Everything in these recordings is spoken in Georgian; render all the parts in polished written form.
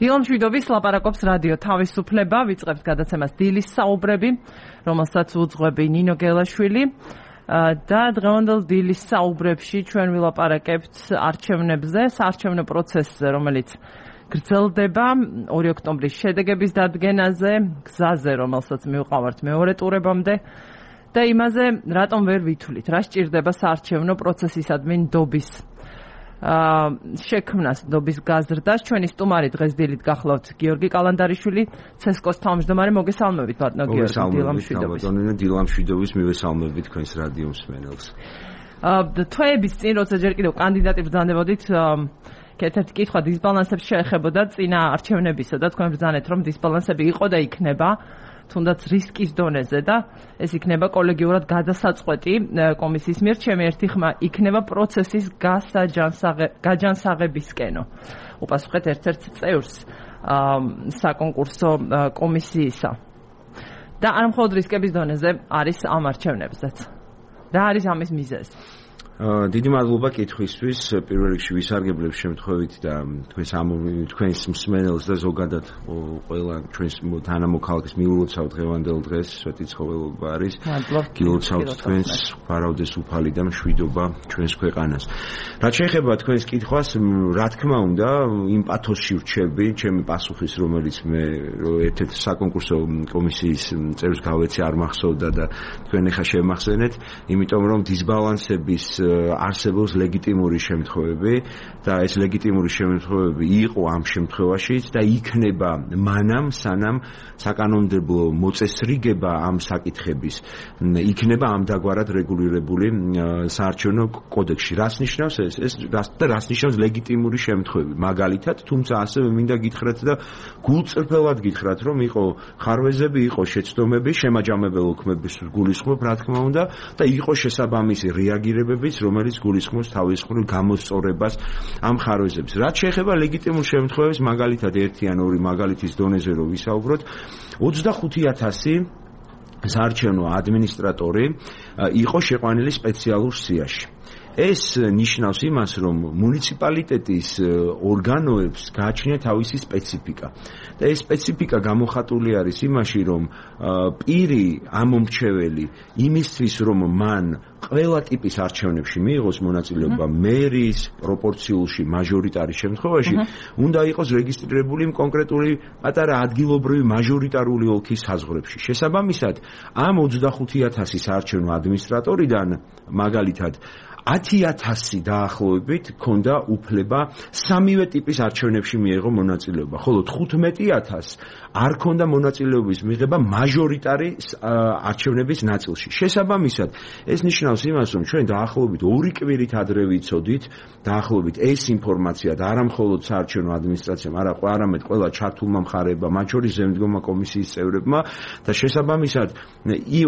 დილამ შვიდობის ლაპარაკობს რადიო თავისუფლება, ვიწყებთ გადაცემას დილის საუბრები, რომელსაც უძღვები ნინო გელაშვილი და დღევანდელ დილის საუბრებში ჩვენ ვილაპარაკებთ არჩევნებზე, საარჩევნო პროცესზე, რომელიც გრძელდება 2 ოქტომბრის შედეგების დადგენაზე, გზაზე, რომელსაც მივყავართ მეორე ტურებამდე და იმაზე, რატომ ვერ ვითვლით, რა სჭირდება საარჩევნო პროცესისადმი ნდობის შექმნას, ნდობის გაზრდას. ჩვენი სტუმარი დღეს დილით გახლავთ გიორგი კალანდარიშვილი, ცესკოს თავმჯდომარე. მოგესალმებით ბატონო გიორგი, დილამ შვიდობის. დილამ შვიდობის მივესალმებით თქვენს რადიო მსმენელს. თვეების წინ, როცა ჯერ კიდევ კანდიდატი ბრძანებოდით, ერთ-ერთი კითხვა დისბალანსებს შეეხებოდა წინა არჩევნებისა და თქვენ ბრძანეთ, რომ დისბალანსები იყო და იქნება, თუნდაც რისკის დონეზე და ეს იქნება კოლეგიურად გადასაწყვეტი კომისიის მიერ. ჩემი ერთი ხმა იქნება პროცესის გაჯანსაღებისკენო. უპასუხეთ ერთ-ერთ წევრს საკონკურსო კომისიისა. და არ მხოლოდ რისკების დონეზე არის ამ არჩევნებზეც. რა არის ამის მიზეზი? დიდი მადლობა კითხვისთვის. პირველ რიგში ვისარგებლებ შემთხვევით და თქვენს მსმენელს და ზოგადად ყველა ჩვენს თანამოქალაქეს მიულოცავ დღევანდელ დღეს, სვეტი ცხოველობა არის. გილოცავთ თქვენს ვარავდეს უფალი და მშვიდობა ჩვენს ქვეყანას. რაც შეეხება თქვენს კითხვას, რა თქმა უნდა, იმ პათოსში ვრჩები, ჩემი პასუხის, რომელიც მე ერთ-ერთ საკონკურსო კომისიის წევრს გავეცი არ მახსოვდა და თქვენ ახლა შემახსენეთ, იმიტომ რომ დისბალანსების არსებობს ლეგიტიმური შემთხვევები და ეს ლეგიტიმური შემთხვევები იყო ამ შემთხვევაშიც და იქნება მანამ სანამ საკანონმდებლო მოწესრიგება ამ საკითხების იქნება ამდაგვარად რეგულირებული საარჩევნო კოდექსში. რას ნიშნავს ეს რას ნიშნავს ლეგიტიმური შემთხვევები? მაგალითად, თუმცა ასევე მინდა გითხრათ და გულწრფელად გითხრათ, რომ იყო ხარვეზები, იყო შეცდომები, შემაჯამებელ ოქმების გულისხმობ, რა თქმა უნდა, და იყო შესაბამისი რეაგირებები, რომელიც გულისხმობს თავისუფლ გამოსწორებას ამ ხარვეზებს. რაც შეეხება ლეგიტიმურ შემთხვევებს, მაგალითად ერთი ან ორი მაგალითის დონეზე რო ვისაუბროთ, 25,000 საარჩევნო ადმინისტრატორი იყო შეყვანილი სპეციალურ სიაში. ეს ნიშნავს იმას, რომ მუნიციპალიტეტის ორგანოებს გააჩნია თავისი სპეციფიკა. და ეს სპეციფიკა გამოხატული არის იმაში, რომ პირი ამომრჩეველი იმისთვის, რომ მან ყველა ტიპის არჩევნებში მიიღოს მონაწილეობა მერის, პროპორციულში, მაჟორიტარის შემთხვევაში, უნდა იყოს რეგისტრირებული კონკრეტული პატარა ადგილობრივი მაჟორიტარული ოლქის საზღვრებში. შესაბამისად, ამ 25,000 საარჩევნო ადმინისტრატორიდან მაგალითად 10,000 დაახლოებით ქონდა უფლება სამივე ტიპის არჩევნებში მიეღო მონაწილეობა, ხოლო 15,000 არ ქონდა მონაწილეობის მიღება მაჟორიტარის არჩევნების ნაწილში. შესაბამისად, ეს ნიშნავს იმას, რომ ჩვენ დაახლოებით 2 კვირით ადრე ვიცოდით, დაახლოებით ეს ინფორმაცია და არა მხოლოდ საარჩევნო ადმინისტრაციამ, არამედ ყველა ჩართულმა მხარეებმა, მათ შორის ზემდგომა კომისიის წევრებმა და შესაბამისად,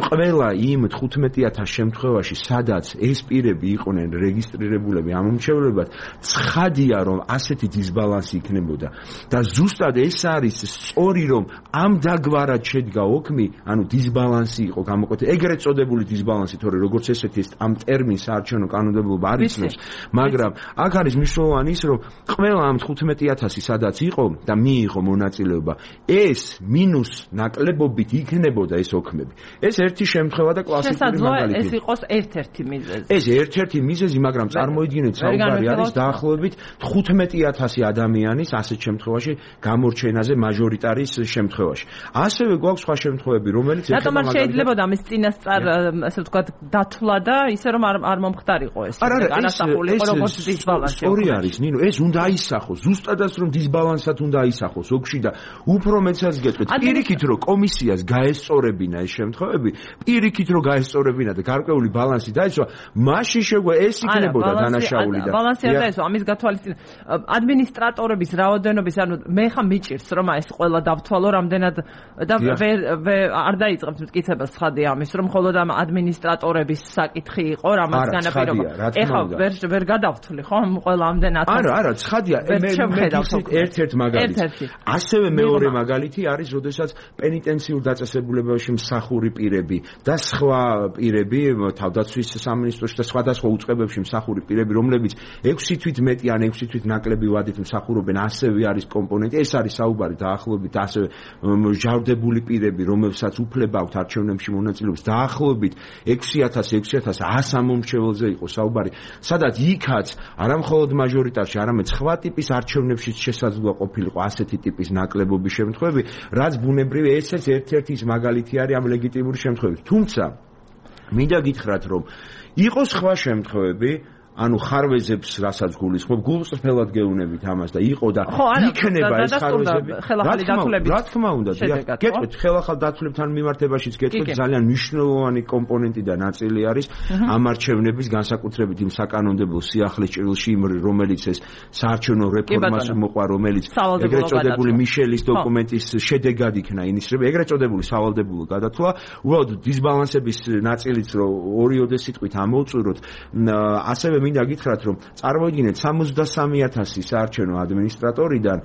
ყველა იმ 15,000 შემთხვევაში, სადაც ეს პირები იყვნენ რეგისტრირებულები ამომრჩევლებად, ცხადია, რომ ასეთი დისბალანსი იქნებოდა და ზუსტად ეს არის სწორი, რომ ამდაგვარად შედგა ოქმი, ანუ დისბალანსი იყო გამოკვეთილი, ეგრეთ წოდებული დისბალანსი, თორე როგორც ესეთი ეს ამ ტერმინს საარჩევნო კანონმდებლობა არ იცნობს, მაგრამ აქ არის მნიშვნელოვანი ის, რომ ყველა ამ 15,000 სადაც იყო და მიიღო მონაწილეობა, ეს მინუს ნაკლებობით იქნებოდა ეს ოქმები. ეს ერთი შემთხვევა და კლასიკური მაგალითი. ეს იყოს ერთ-ერთი მიზეზი. ეს ერთ-ერთი მიზეზი, მაგრამ წარმოიდგინეთ, საუბარი არის დაახლოებით 15,000 ადამიანის ასეთ შემთხვევაში გამორჩენაზე მაჟორიტარის შემთხვევაში. ასევე გვაქვს სხვა შემთხვევები, რომელიც რატომ არ შეიძლება ამის წინასწარ, ასე ვთქვათ, დათვლა და ისე რომ არ მომხდარიყო ეს. განასახული იყო როგორც დისბალანსი. სწორი არის, ნინო, ეს უნდა აისახოს, ზუსტადაც რომ დისბალანსად უნდა აისახოს ოქში და უფრო მეცაც გეტყვით, პირიქით რომ კომისიას გაესწორებინა ეს შემთხვევები, პირიქით რომ გაესწორებინა და გარკვეული ბალანსი დაეცვა, მაშინ ეს იქნებოდა დანაშაული და ბალანსი არ დაესვა ამის გათვალისწინებით. ადმინისტრატორების რაოდენობის, ანუ მე ხა მიჭირს რომ ეს ყველა დავთვალო რამდენად და არ დაიწყებთ მტკიცებას ცხადია ამის, რომ მხოლოდ ამ ადმინისტრატორების საკითხი იყო, რამაც განაპირობა. ეხლა ვერ გადავთვლი ხო ყველა ამდენ 1000. არა, ცხადია, მე ერთ-ერთ მაგალითი. ასევე მეორე მაგალითი არის, როდესაც პენიტენციურ დაწესებულებაში მსახური პირები და სხვა პირები თავდაცვის სამინისტროში და სხვადასხვა უწყებებში მსახური პირები, რომლებიც 6 თვით მეტი ან 6 თვით ნაკლები ვადით მსახურობენ, ასევე არის კომპონენტი. ეს არის საუბარი დაახლოებით ასევე ჟავრდებული პირები, რომელსაც უფლება აქვთ არჩევნებში მონაწილეობის, დაახლოებით 6,100 ამომრჩეველზე იყო საუბარი, სადაც იქაც არა მხოლოდ მაჟორიტარში, არამედ სხვა ტიპის არჩევნებშიც შესაძლოა ყოფილიყო ასეთი ტიპის ნაკლებობის შემთხვევები, რაც ბუნებრივი ესეც ერთ-ერთი ის მაგალითი არის ამ ლეგიტიმური შემთხვევების. თუმცა მინდა გითხრათ, რომ იყო სხვა შემთხვევები, ანუ ხარვეზებს რასაც გულისხმობ, გულწრფელად გეუნებით ამას და იყო და იქნება ეს ხარვეზები. რა თქმა უნდა, გეტყვით, ხელახალ დათვლებთან მიმართებაშიც გეტყვით, ძალიან მნიშვნელოვანი კომპონენტი და ნაწილი არის ამ არჩევნების განსაკუთრებით იმ საკანონმდებლო სიახლის ჭრილში, რომელიც ეს საარჩევნო რეფორმას მოყვა, რომელიც ეგრეთ წოდებული მიშელის დოკუმენტის შედეგად იქნა ინიცირება, ეგრეთ წოდებული სავალდებულო გადათვლა, უბრალოდ დისბალანსების ნაწილიც რო ორიოდე სიტყვით ამოვწუროთ, ასევე მინდა გითხრათ, რომ წარმოიდგინეთ 63,000 საარჩევნო ადმინისტრატორიდან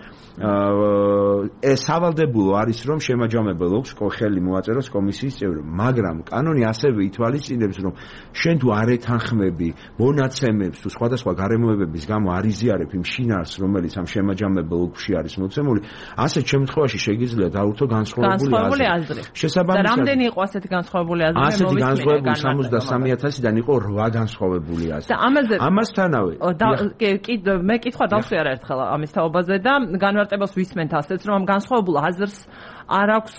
სავალდებულო არის, რომ შემაჯამებელ აქვს ხელი მოაწეროს კომისიის წევრები, მაგრამ კანონი ასევე ითვალისწინებს, რომ შენ თუ არ ეთანხმები მონაცემებს თუ სხვადასხვა გარემოებების გამო არ იზიარებ იმ შინაარსს, რომელიც ამ შემაჯამებელ ოლქში არის მოცემული, ასეთ შემთხვევაში შეგიძლია დაურთო განსხვავებული აზრი. და რამდენი იყო ასეთი განსხვავებული აზრი? ასეთი განსხვავებული 63,000-დან იყო 8 განსხვავებული აზრი. ამასთანავე მე კითხვა დავსვი არაერთხელ ამის თაობაზე და განმარტებას ვისმენთ ასეც, რომ ამ განსხვავებულ აზრს არ აქვს,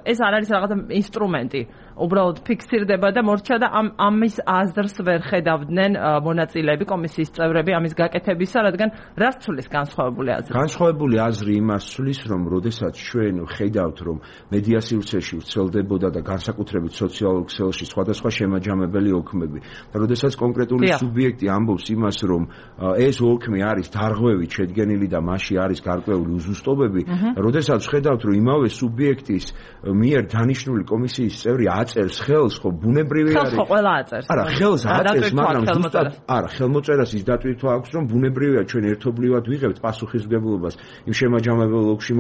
ეს არ არის რაღაცა ინსტრუმენტი, უბრალოდ ფიქსირდება და მორჩა და ამის აზრს ვერ ხედავდნენ მონაწილეები, კომისიის წევრები ამის გაკეთებისა, რადგან რას ცulis განსხვავებული აზრი? განსხვავებული აზრი იმას ცulis, რომ როდესაც ჩვენ ხედავთ, რომ მედიასიურ ქსელში ვრცელდებოდა და განსაკუთრებით სოციალურ ქსელში სხვადასხვა შემაჯამებელი ოლქმები და როდესაც კონკრეტული სუბიექტი ამბობს იმას, რომ ეს ოლქმი არის დარღვევით შედგენილი და მასში არის გარკვეული უზუსტობები, როდესაც ხედავთ, რომ იმავე სუბიექტის მიერ დანიშნული კომისიის წევრი აწერს ხელს, ხო ბუნებრივი არის. ხო, ყველა აწერს. არა, ხელს აწერს, მაგრამ ზუსტად არა, ხელმოწერას ის დატვირთვა აქვს, რომ ბუნებრივია ჩვენ ერთობლივად ვიღებთ პასუხისმგებლობას იმ შემაჯამებელ ოლქში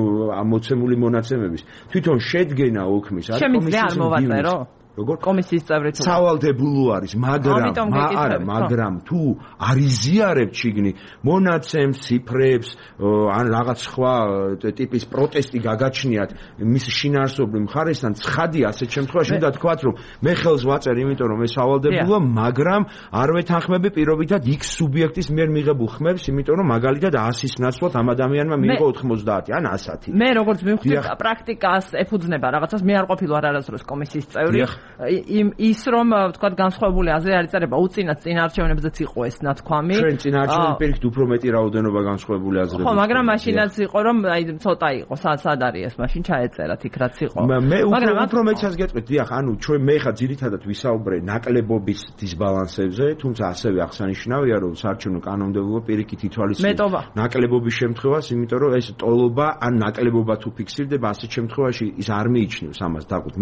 მოცემული მონაცემების. თვითონ შედგენა ოლქმის არის კომისიის მდივნის. როგორ კომისიის წევრი თუ სავალდებულო არის, მაგრამ თუ არ იზიარებთ შიგნი მონაცემს, ციფრებს, ან რაღაც სხვა ტიპის პროტესტი გაგაჩნიათ მის შინაარსობრივ მხარესთან, ცხადია ასეთ შემთხვევაში უნდა თქვათ, რომ მე ხელს ვაწერ, იმიტომ რომ ეს სავალდებულოა, მაგრამ არ ვეთანხმები პირობითად X სუბიექტის მიერ მიღებულ ხმებს, იმიტომ რომ მაგალითად 100-ის ნაცვლად ამ ადამიანმა მიიღო 90 ან 100. მე როგორც მივხვდი პრაქტიკას ეფუძნება რაღაცას, მე არ ყოფილი ვარ არასდროს კომისიის წევრი. ის რომ ვთქვათ განსხვავებული აზრი არ იწერება უწინათ წინ არჩევნებზეც იყო ეს ნათქვამი. ჩვენ წინ არჩევნებში პირიქით უფრო მეტი რაოდენობა განსხვავებული აზრები. ხო, მაგრამ მაშინაც იყო რომ აი ცოტა იყო სად არის ეს მაშინ ჩაეწერათ იქ რაც იყო. მე უფრო მეტსაც გეტყვით, დიახ, ანუ ჩვენ მე ხა ძირითადად ვისაუბრე ნაკლებობის დისბალანსებზე, თუმცა ასევე აღსანიშნავია რომ საარჩევნო კანონმდებლობა პირიქით ითვალისწინებს ნაკლებობის შემთხვევას, იმიტომ რომ ეს ტოლობა ან ნაკლებობა თუ ფიქსირდება, ასეთ შემთხვევაში ის არ მიიჩნევს ამას დაყუთ.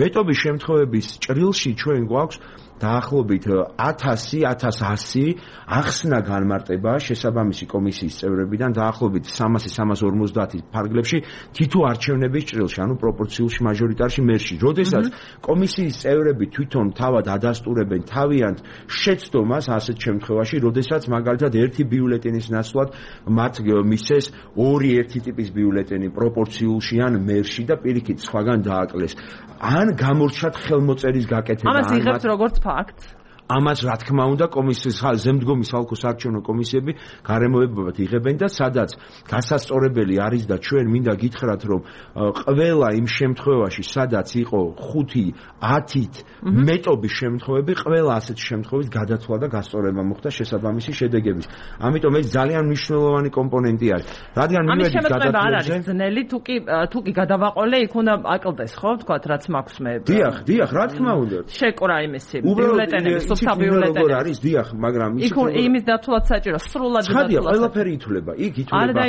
მეტობის შემთხვევების ჭრილში ჩვენ გვაქვს დაახლოებით 1000-1100 ახსნა განმარტება შესაბამისი კომისიის წევრებიდან დაახლოებით 300-350 ფარგლებში თითო არჩევნების ჭრილში, ანუ პროპორციულში მაჟორიტარში მერში. როდესაც კომისიის წევრები თვითონ თავად ადასტურებენ თავიანთ შეცდომას ასეთ შემთხვევაში, როდესაც მაგალითად ერთი ბიულეტენის ნაცვლად მათ მისცეს ორი ერთი ტიპის ბიულეტენი პროპორციულში ან მერში და პირიქით სხვაგან დააკლეს. ან გამორჩათ ხელმოწერის გაკეთება. ამას იღებთ როგორც ფაქტს. ამას რა თქმა უნდა კომისიის ზემდგომი საოლქო საარჩევნო კომისიები გარემოებებად იღებენ და სადაც გასასწორებელი არის და ჩვენ მინდა გითხრათ, რომ ყველა იმ შემთხვევაში, სადაც იყო 5-10-ით მეტობის შემთხვევები, ყველა ასეთ შემთხვევით გადათვლა და გასწორება მოხდა შესაბამისი შედეგების. ამიტომ ეს ძალიან მნიშვნელოვანი კომპონენტი არის. რადგან მივედით გადათვლებზე, არ არის ძნელი, თუ კი გადავაყოლე, იქ უნდა აკლდეს, ხო, თქვათ, რაც მაქვს მე. დიახ, რა თქმა უნდა. შეკრა იმისი ბიულეტენების საბიულეტენი არის, დიახ, მაგრამ იმის დათვლაც საჭირო, სრულად დათვლა. ცხადია, ყველაფერი ითვლება. იქ ითვლება.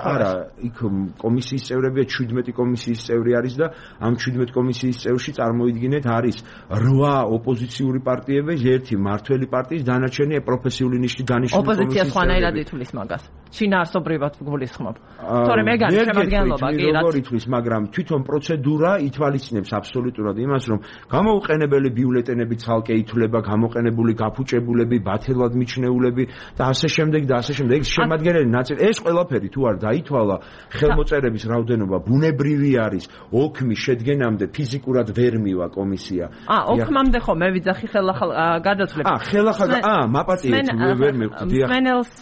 არა, იქ კომისიის წევრებია 17 კომისიის წევრი არის და ამ 17 კომისიის წევრში წარმოიდგინეთ არის 8 ოპოზიციური პარტიები, ერთი მართველი პარტიის, დანარჩენი პროფესიული ნიშნით დანიშნული კომისიის. ოპოზიცია სხვანაირად ითვლის მაგას. შინაარსობრივად გულისხმობ. თორემ ეგ არის შემადგენლობა კი რაც როგორ ითვლის, მაგრამ თვითონ პროცედურა ითვალისწინებს აბსოლუტურად იმას, რომ გამოუყენებელი ბიულეტენები ცალკე ითვლება, გამოყენებული, გაფუჭებულები, ბათელად მიჩნეულები და ასე შემდეგ და ასე შემდეგ. ეს შემადგენელი ნაწილი, ეს ყველაფერი თუ არ დაითვალა, ხელმოწერების რაოდენობა ბუნებრივი არის. ოქმი შედგენამდე ფიზიკურად ვერ მივა კომისია. ოქმამდე ხო მე ვიძახი ხელახალ გადაცვლებს. ხელახალ მაპატიეთ ვერ მივხვდი. მსმენელს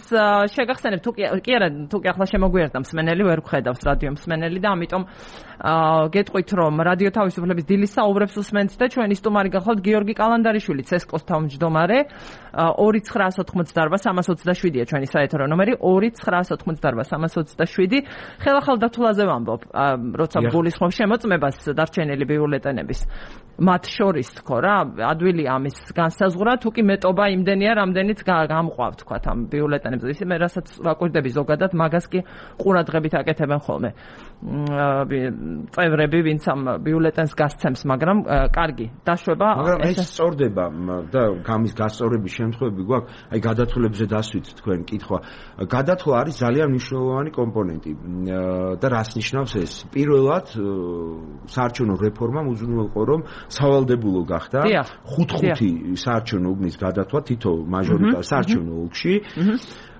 შეგახსენებ თუ კი არა თუ კი ახლა შემოგვიერთდა მსმენელი ვერ გხედავს რადიო მსმენელი და ამიტომ გეტყვით რომ რადიო თავისუფლების დილის საუბრებს უსმენთ და ჩვენი სტუმარი გახლავთ გიორგი კალანდარიშვილი ცესკოს თავმჯდომარე 2988327-ია ჩვენი საეთერო ნომერი 2988327 ხელახალ დათვლაზე ვამბობ როცა გულისხმობ შემოწმებას დარჩენილი ბიულეტენების მათ შორის თქო რა ადვილი ამის განსაზღვრა თუ კი მეტობა იმდენია რამდენიც გამყვავ თქვათ ამ ბიულეტენებზე ისე მე რასაც ვაკვირდები ზოგადად მაგას კი ყურადღებით აკეთებენ ხოლმე წევრები ვინც ამ ბიულეტენს გასცემს მაგრამ კარგი დაშვება მაგრამ ეს სწორდება და გამის გასწორების შემთხვევები გვაქვს აი გადათვლებზე დასვით თქვენ კითხვა გადათვლა არის ძალიან მნიშვნელოვანი კომპონენტი და რას ნიშნავს ეს პირველად საარჩევნო რეფორმამ უზრუნველყო რომ სავალდებულო გახდა 5-5 საარჩევნო უბნის გადათვლა თითო მაჟორიტარ საარჩევნო ოლქში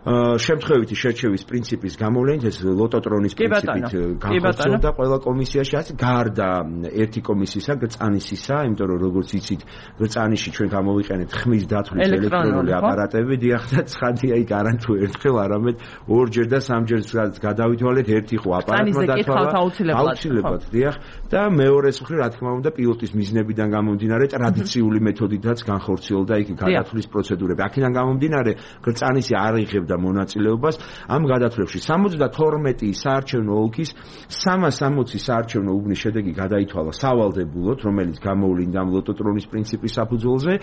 შემთხვევითი შერჩევის პრინციპის გამოვლენით ეს ლოტოტრონის პრინციპით განხორციელდა ყველა კომისიაში ასე გარდა ერთი კომისიისა გწანისისა იმიტომ რომ როგორც იცით გწანიში ჩვენ გამოვიყენეთ ხმის დათვლის ელექტრონული აპარატები დიახ და ცხადია იქ არა თუ ერთხელ არამედ ორჯერ და სამჯერ გადავითვალეთ ერთი ხო აპარატმა დათვალა აუცილებლად დიახ და მეორეს მხრივ რა თქმა უნდა პილოტის მიზნებიდან გამომდინარე ტრადიციული მეთოდითაც განხორციელდა იქ გადათვლის პროცედურები აქედან გამომდინარე გწანისი არ იღებდა მონაწილეობას ამ გადათვლებში 72 საარჩევნო ოლქის 360 საარჩევნო უბნის შედეგი გადაითვალა სავალდებულოდ რომელიც გამოვლინდა ამ ლოტოტრონის პრინციპის საფუძველზე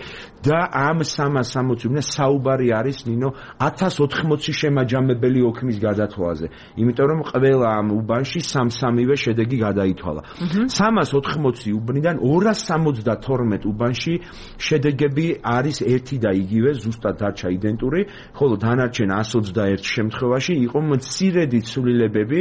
და ამ 360 უბნია საუბარი არის ნინო 1080 შემაჯამებელი ოქმის გადათვლაზე იმიტომ რომ ყველა ამ უბანში 3-3-ვე შედეგი გადაითვალა 380 უბნიდან 272 უბანში შედეგები არის ერთი და იგივე ზუსტად დარჩა იდენტური ხოლო დანარჩენ 121 შემთხვევაში იყო მცირედი ცვლილებები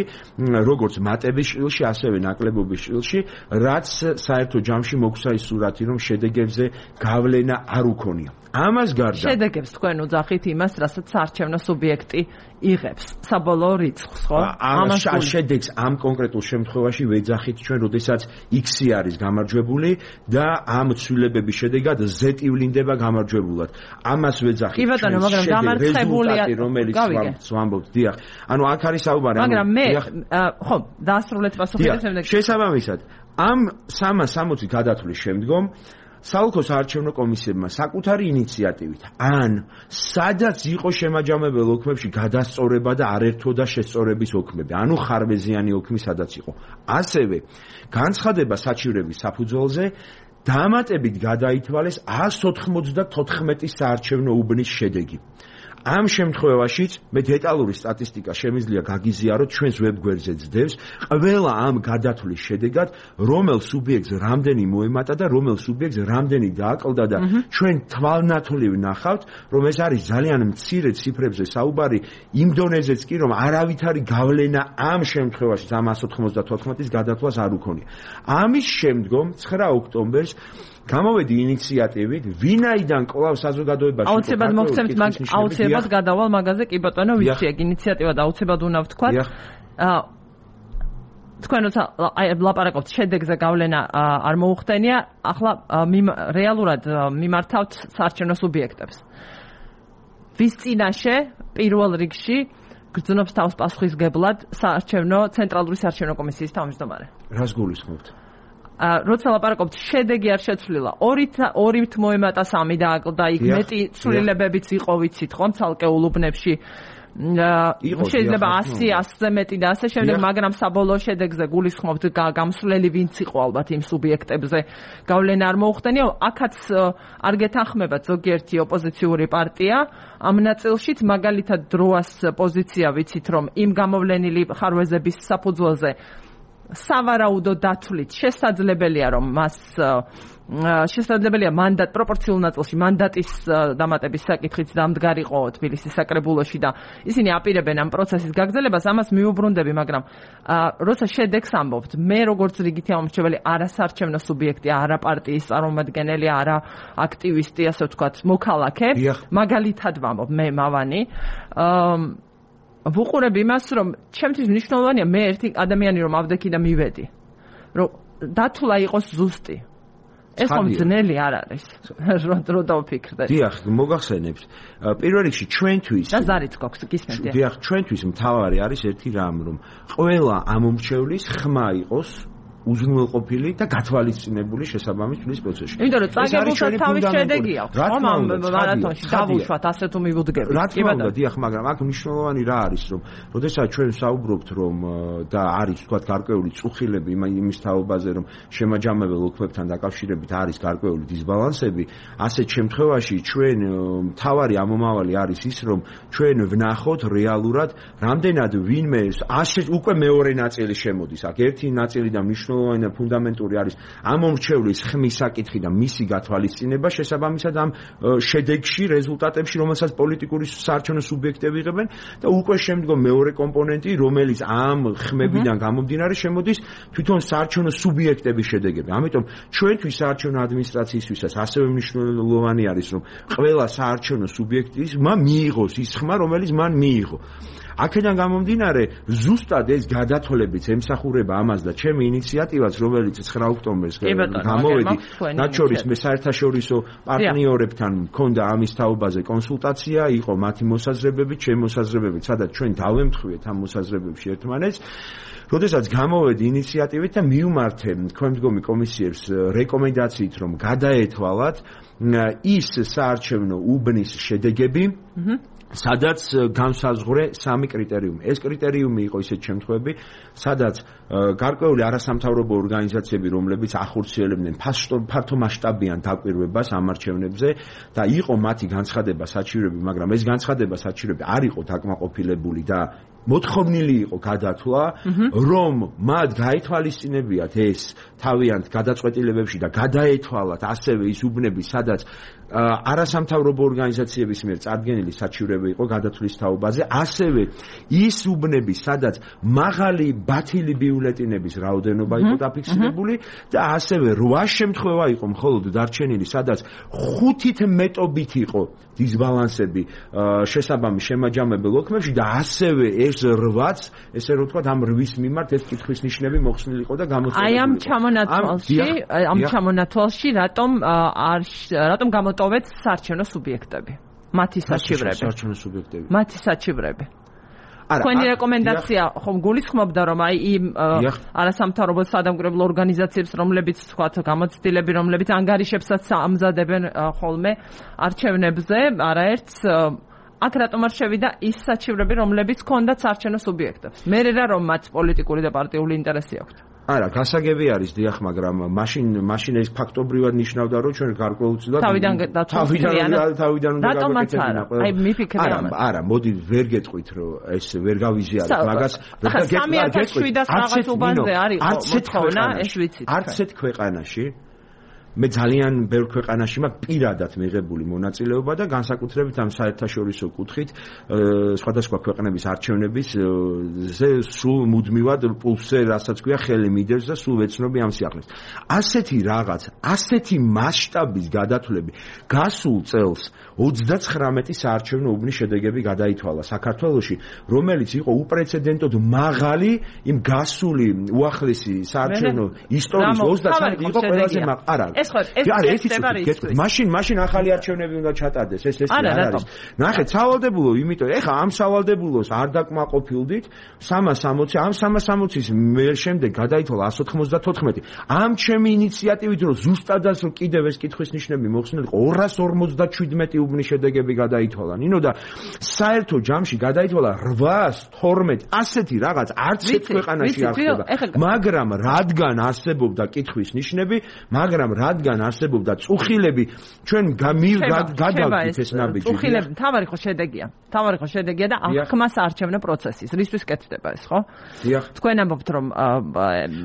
როგორც მატების შილში ასევე ნაკლებობის შილში რაც საერთო ჯამში მოგვცა ის სურათი რომ შედეგებზე გავლენა არ უქონია ამას გარდა შედეგებს თქვენ უძახით იმას რასაც საარჩევნო სუბიექტი იღებს საბოლოო რიცხვს ხო ამას შედეგს ამ კონკრეტულ შემთხვევაში ვეძახით ჩვენ როდესაც X-ი არის გამარჯვებული და ამ ცვლილებების შედეგად Z-ი ვლინდება გამარჯვებულად ამას ვეძახით კი ბატონო მაგრამ გამარცხებულია რომელიც ვამბობთ დიახ ანუ აქ არის საუბარი მაგრამ მე ხო დაასრულეთ პასუხი შესაბამისად ამ 360 გადათვლის შემდგომ საოლქო საარჩევნო კომისიებმა საკუთარი ინიციატივით ან სადაც იყო შემაჯამებელ ოქმებში გადასწორება და არერთო და შესწორების ოქმები ანუ ხარვეზიანი ოქმი სადაც იყო ასევე განცხადება საჩივრების საფუძველზე დამატებით გადაითვალეს 194 საარჩევნო უბნის შედეგი ამ შემთხვევაშიც მე დეტალური სტატისტიკა შემიძლია გაგიზიაროთ ჩვენს ვებგვერდზე ძდევს ყველა ამ გადათვლის შედეგად რომელ სუბიექტს რამდენი მოემატა და რომელ სუბიექტს რამდენი დააკლდა და ჩვენ თვალნათვლივ ნახავთ რომ ეს არის ძალიან მცირე ციფრებზე საუბარი იმ დონეზეც კი რომ არავითარი გავლენა ამ შემთხვევაში 394-ის გადათვლას არ უქონია ამის შემდგომ 9 ოქტომბერს გამოვედი ინიციატივით ვინაიდან კვლავ საზოგადოებაში აუცილებლად მოგცემთ აუცილებლად გადავალ მაგაზე კი ბატონო ვიცი ეგ ინიციატივა და აუცილებლად უნდა ვთქვა თქვენ როცა ლაპარაკობთ შედეგზე გავლენა არ მოუხდენია ახლა რეალურად მიმართავთ საარჩევნო სუბიექტებს ვის წინაშე პირველ რიგში გრძნობს თავს პასუხისგებლად საარჩევნო ცენტრალური საარჩევნო კომისიის თავმჯდომარე რას გულისხმობთ როცა ლაპარაკობთ შედეგი არ შეცვლილა 2-ით მოემატა 3 დააკლდა იქ მეტი ცვლილებებიც იყო ვიცით ხომ ცალკეულ უბნებში შეიძლება 100-ზე მეტი და ასე შემდეგ მაგრამ საბოლოო შედეგზე გულისხმობთ გამსვლელი ვინც იყო ალბათ იმ სუბიექტებზე გავლენა არ მოუხდენია აქაც არ გეთანხმებათ ზოგიერთი ოპოზიციური პარტია ამ ნაწილშიც მაგალითად დროას პოზიცია ვიცით რომ იმ გამოვლენილი ხარვეზების საფუძველზე სავარაუდო დათვლით შესაძლებელია რომ მას შესაძლებელია მანდატ პროპორციულ ნაწილში მანდატის დამატების საკითხით დამდგარიყო თბილისის საკრებულოში და ისინი აპირებენ ამ პროცესის გაგრძელებას, ამას მიუბრუნდები, მაგრამ როცა შედეგს ამბობთ, მე როგორც რიგითი ამომრჩეველი არასარჩევნო სუბიექტი, არა პარტიის წარმომადგენელი, არა აქტივისტი, ასე ვთქვათ, მოქალაქე, მაგალითად ვამბობ, მე მავანი, ვუყურებ იმას, რომ ჩემთვის მნიშვნელოვანია მე ერთი ადამიანი რომ ავდექი და მივედი, რომ დათვლა იყოს ზუსტი. ეს ხომ ძნელი არ არის. რო დავფიქრდე. დიახ, მოგახსენებთ. პირველ რიგში ჩვენთვის და ზარიც გვაქვს, გისმენთ. დიახ, ჩვენთვის მთავარი არის ერთი რამ, რომ ყველა ამომრჩევლის ხმა იყოს უზრუნველყოფილი და გათვალისწინებული შესაბამის თვლის პროცესში. იმიტომ რომ წაგებულსაც თავის შედეგი აქვს. ხომ ამ მარათონში დავუშვათ ასე თუ მივუდგებით. რა თქმა უნდა, დიახ, მაგრამ აქ მნიშვნელოვანი რა არის, რომ როდესაც ჩვენ საუბრობთ, რომ და არის თქვა გარკვეული წუხილები იმის თაობაზე, რომ შემაჯამებელ ოქრებთან დაკავშირებით არის გარკვეული დისბალანსები, ასეთ შემთხვევაში ჩვენ მთავარი ამომავალი არის ის, რომ ჩვენ ვნახოთ რეალურად, რამდენად ვინმე უკვე მეორე ნაწილი შემოდის. აქ ერთი ნაწილი და მნიშვნელოვანი და ფუნდამენტური არის ამომრჩევლის ხმის საკითხი და მისი გათვალისწინება შესაბამისად ამ შედეგში, რეზულტატებში, რომელსაც პოლიტიკური საარჩევნო სუბიექტები იღებენ და უკვე შემდგომ მეორე კომპონენტი, რომელიც ამ ხმებიდან გამომდინარე შემოდის თვითონ საარჩევნო სუბიექტების შედეგები. ამიტომ ჩვენთვის საარჩევნო ადმინისტრაციისთვისაც ასევე მნიშვნელოვანი არის, რომ ყველა საარჩევნო სუბიექტმა მიიღოს ის ხმა, რომელიც მან მიიღო. აქედან გამომდინარე, ზუსტად ეს გადათვლებიც ემსახურება ამას და ჩემი ინიციატივაც, რომელიც 9 ოქტომბერს გამოვედი, მათ შორის მე საერთაშორისო პარტნიორებთან მქონდა ამის თაობაზე კონსულტაცია, იყო მათი მოსაზრებები, ჩემი მოსაზრებები, სადაც ჩვენ დავემთხვიეთ ამ მოსაზრებებში ერთმანეთს. როდესაც გამოვედი ინიციატივით და მიუმართე ქვემდგომი კომისიებს რეკომენდაციით, რომ გადაეთვალათ ის საარჩევნო უბნის შედეგები, სადაც განსაზღვრე 3 კრიტერიუმი. ეს კრიტერიუმი იყო ისეთ შემთხვევები, სადაც გარკვეული არასამთავრობო ორგანიზაციები, რომლებიც ახორციელებდნენ ფართო მასშტაბიან დაკვირვებას ამ არჩევნებზე და იყო მათი განცხადება საჩივრები, მაგრამ ეს განცხადება საჩივრები არ იყო დაკმაყოფილებული და მოთხოვნილი იყო გადათვლა, რომ მათ გაითვალისწინებიათ ეს თავიანთ გადაწყვეტილებებში და გადაეთვალათ ასევე ის უბნები, სადაც არასამთავრობო ორგანიზაციების მიერ წარდგენილი საჩივრები იყო გადათვლის თაობაზე, ასევე ის უბნები, სადაც მაღალი ბათილი ბიულეტინების რაოდენობა იყო დაფიქსირებული და ასევე 8 შემთხვევა იყო მხოლოდ დარჩენილი, სადაც 5-ით მეტობით იყო დისბალანსები შესაბამის შემაჯამებელ ოქმებში და ასევე ეს 8-ს, ესე რომ ვთქვათ, ამ 8-ის მიმართ ეს კითხვის ნიშნები მოხსნილი იყო და გამოცხადებული. აი ამ ჩამონათვალში რატომ გამოტოვეთ საარჩევნო სუბიექტები? მათი საჩივრები. თქვენი რეკომენდაცია ხომ გულისხმობდა, რომ აი იმ არასამთავრობო სადამკვირვებლო ორგანიზაციებს, რომლებიც თქვათ გამოცდილები, რომლებიც ანგარიშებსაც ამზადებენ ხოლმე არჩევნებზე, არაერთს აქ რატომ არ შევიდა ის საჩივრები, რომლებიც ჰქონდათ საარჩევნო სუბიექტებს? მე რა რომ მათ პოლიტიკური და პარტიული ინტერესი აქვთ. არა, გასაგები არის, დიახ, მაგრამ მაშინ ეს ფაქტობრივად ნიშნავდა, რომ ჩვენ გარკვეულწილად თავიდან უნდა გავაკეთებინა. აი, მიფიქრე ამას. არა, მოდი ვერ გეტყვით, რომ ეს ვერ გავიზიარებ მაგას. 3700 რაღაც უბანზე არის მოთხოვნა, ეს ვიცით. არც ერთ ქვეყანაში მე ძალიან ბევრ ქვეყანაში მაქვს პირადად მიღებული მონაწილეობა და განსაკუთრებით ამ საერთაშორისო კუთხით სხვადასხვა ქვეყნების არჩევნების სულ მუდმივად პულსზე, რასაც ქვია, ხელი მიდევს და სულ ვეცნობი ამ სიახლეს. ასეთი რაღაც, ასეთი მასშტაბის გადათვლები გასულ წელს 39 საარჩევნო უბნის შედეგები გადაითვალა საქართველოში, რომელიც იყო უპრეცედენტოდ მაღალი იმ გასული უახლესი საარჩევნო ისტორიის 33 იყო ყველაზე მაღალი. მაშინ ახალი არჩევნები უნდა ჩატარდეს, ეს არ არის. ნახეთ, სავალდებულო, იმიტომ ეხა ამ სავალდებულოს არ დაკმაყოფილდით 360, ამ 360-ის შემდეგ გადაითვალა 194. ამ ჩემი ინიციატივით, რომ ზუსტადაც რომ კიდევ ეს კითხვის ნიშნები მოხსნილი იყო, 257 უბნის შედეგები გადაითვალა. ნინო და საერთო ჯამში გადაითვალა 812 ასეთი რაღაც არც ერთ ქვეყანაში არ ხდება. მაგრამ რადგან არსებობდა კითხვის ნიშნები, მაგრამ რადგან არსებობდა წუხილები ჩვენ გადავდით ეს ნაბიჯი წუხილები თავარი ხო შედეგია და აღქმას არჩევნო პროცესის რისთვის კეთდება ეს ხო თქვენ ამბობთ რომ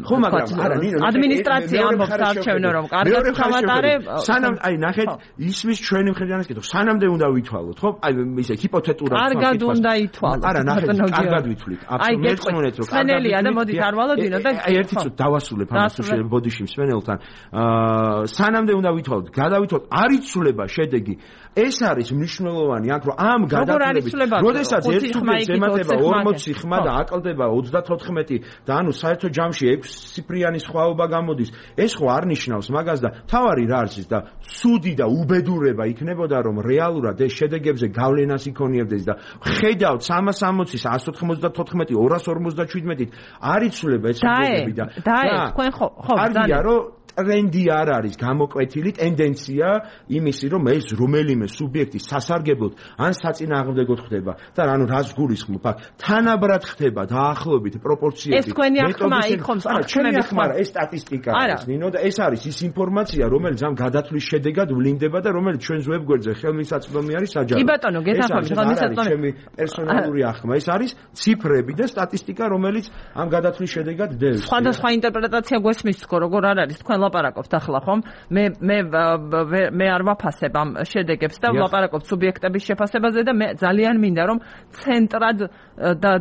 ხო მაგრამ არა ადმინისტრაცია ამბობს არჩევნო რომ კარგად გამატარე სანამ აი ნახეთ ისმის ჩვენი მხედრიანის კითხვა სანამდე უნდა ვითვალოთ ხო აი ისე ჰიპოთეტურად კარგად უნდა ითვალოთ არა ნახეთ კარგად ვითვლით აბსოლუტურად რომ სვენელია და მოდით არ ვალოდინო და აი ერთი წუთი დავასრულებ ამას ბოდიში სვენელთან სანამდე უნდა ვითვალოთ გადავითვალოთ არ იცვლება შედეგი ეს არის მნიშვნელოვანი აქ რომ ამ გადაწყვეტილებით როდესაც ერთ სუბიექტს ემატება 40 ხმა და აკლდება 34 და ანუ საერთო ჯამში 6 ციფრიანი სხვაობა გამოდის ეს ხო არ ნიშნავს მაგას და თავარი რა არის და სუდი და უბედურება იქნებოდა რომ რეალურად ეს შედეგებზე გავლენას იქონიებდეს და ხედავთ 360-ის 194 257-ით არ იცვლება ეს შედეგები და თქვენ ხო არგია რომ ტრენდი არ არის გამოკვეთილი ტენდენცია იმისი რომ ეს რომელიმე სუბიექტი სასარგებლოდ ან საწინააღმდეგოდ ხდება და ანუ რას გულისხმობ აქ თანაბრად ხდება დაახლოებით პროპორციები ეს თქვენი ახმა იქ ხომ ჩვენი ახმა ეს სტატისტიკა არის ნინო და ეს არის ის ინფორმაცია რომელიც ამ გადათვლის შედეგად ვლინდება და რომელიც ჩვენს ვებგვერდზე ხელმისაწვდომი არის საჯარო კი ბატონო გეთახმები ხელმისაწვდომი ჩემი პერსონალური ახმა ეს არის ციფრები და სტატისტიკა რომელიც ამ გადათვლის შედეგად დევს სხვადასხვა ინტერპრეტაცია გვესმის თქო როგორ არ არის თქვენ ლაპარაკობთ ახლა ხომ მე არ ვაფასებ ამ შედეგებს და ვლაპარაკობ სუბიექტების შეფასებაზე და მე ძალიან მინდა რომ ცენტრად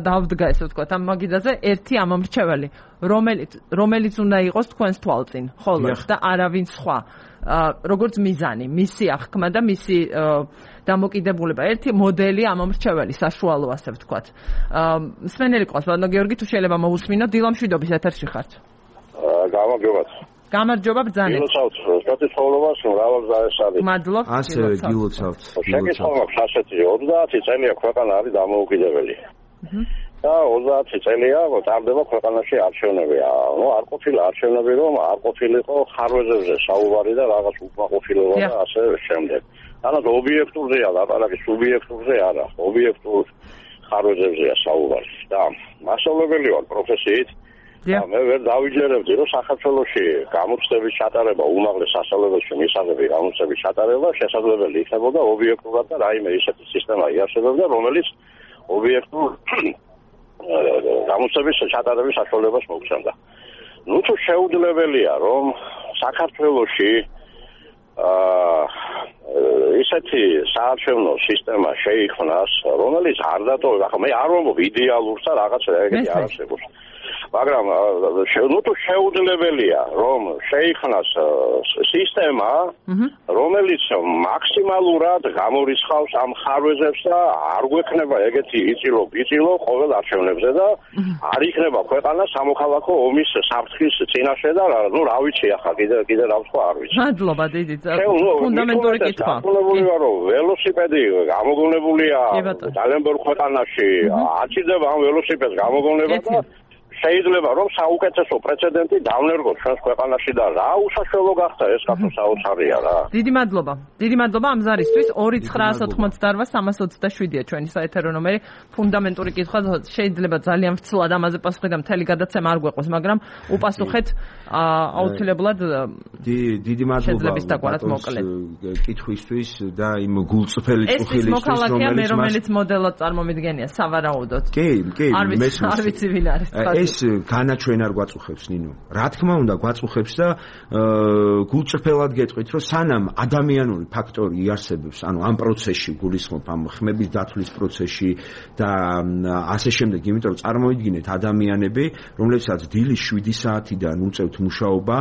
დავდგა ესე ვთქვათ ამ მაგიდაზე ერთი ამომრჩეველი რომელიც უნდა იყოს თქვენს თვალწინ ხოლმე და არავინ სხვა როგორც მიზანი მისი აღქმა და მისი დამოკიდებულება ერთი მოდელი ამომრჩეველი საშუალო ასე ვთქვათ სვენელი ყავს ბატონო გიორგი თუ შეიძლება მოусმინო დილამშვიდობის ეთერში ხართ გამარჯობა ბრძანეთ. გილოცავთ, სტატისტიკურობას მრავალ ზაესად. მადლობ. ასევე გილოცავთ. შეგეცვალოთ ასეთი 30 წელია ქვეყანა არის დამოუკიდებელი. და 30 წელია ტარდება ქვეყანაში არჩევნებია. ნუ არ ყოფილა არჩევნები, რომ არ ყოფილიყო ხარვეზებზე საუბარი და რაღაც უკმაყოფილება და ასე შემდეგ. ანუ ობიექტურზეა ლაპარაკი, სუბიექტურზე არა. ობიექტურ ხარვეზებზეა საუბარი. და მასშტაბებელი ვარ პროფესიით. მე ვერ დავიჯერებდი რომ საქართველოში გამოცდების ჩატარება უმაღლეს სასწავლებელში მისაღები გამოცდების ჩატარება შესაძლებელი იქნებოდა ობიექტურად და რაიმე ისეთი სისტემა იარსებებდა რომელიც ობიექტურ გამოცდების ჩატარების საშუალებას მოგცემდა. ნუ თუ შეუძლებელია რომ საქართველოში ისეთი საარჩევნო სისტემა შეიქმნას რომელიც არ დატოვება ხო მე არ ვამბობ იდეალურს და რაღაცა ეგეთი არ არსებობს მაგრამ ნუ თუ შეუძლებელია რომ შეიქმნას სისტემა რომელიც მაქსიმალურად გამორიცხავს ამ ხარვეზებს და არ გვექნება ეგეთი იწილო ყოველ არჩევნებზე და არ იქნება ქვეყანა სამოქალაქო ომის საფრთხის წინაშე და ნუ რა ვიცი ახლა კიდე რა ვთქვა არ ვიცი მადლობა დიდი ფუნდამენტური კითხვა გონებულია რომ ველოსიპედი გამოგონებულია ძალიან ბევრ ქვეყანაში აწიდება ამ ველოსიპედს გამოგონება და შეიძლება რომ საუკეთესო პრეცედენტი დავნერგოთ ჩვენს ქვეყანაში და რა უსაშველო გახდა ეს კაცო საოცარია რა. დიდი მადლობა ამ ზარისთვის 2988327-ია ჩვენი საეთერო ნომერი ფუნდამენტური კითხვა შეიძლება ძალიან ვცლად ამაზე პასუხი და მთელი გადაცემა არ გვეყოს მაგრამ უპასუხეთ აუცილებლად დიდი მადლობა კითხვისთვის და იმ გულწრფელი წუხილისთვის რომელიც მოდელად წარმომიდგენია სავარაუდოდ. კი არ ვიცი ვინ არის ეს განაჩვენ არ გვაწუხებს ნინო. რა თქმა უნდა გვაწუხებს და გულწრფელად გეტყვით რომ სანამ ადამიანური ფაქტორი იარსებებს, ანუ ამ პროცესში გულისხმობ ამ ხმების დათვლის პროცესში და ასე შემდეგ, იმიტომ რომ წარმოიდგინეთ ადამიანები, რომლებსაც დილის 7 საათიდან უწევთ მუშაობა,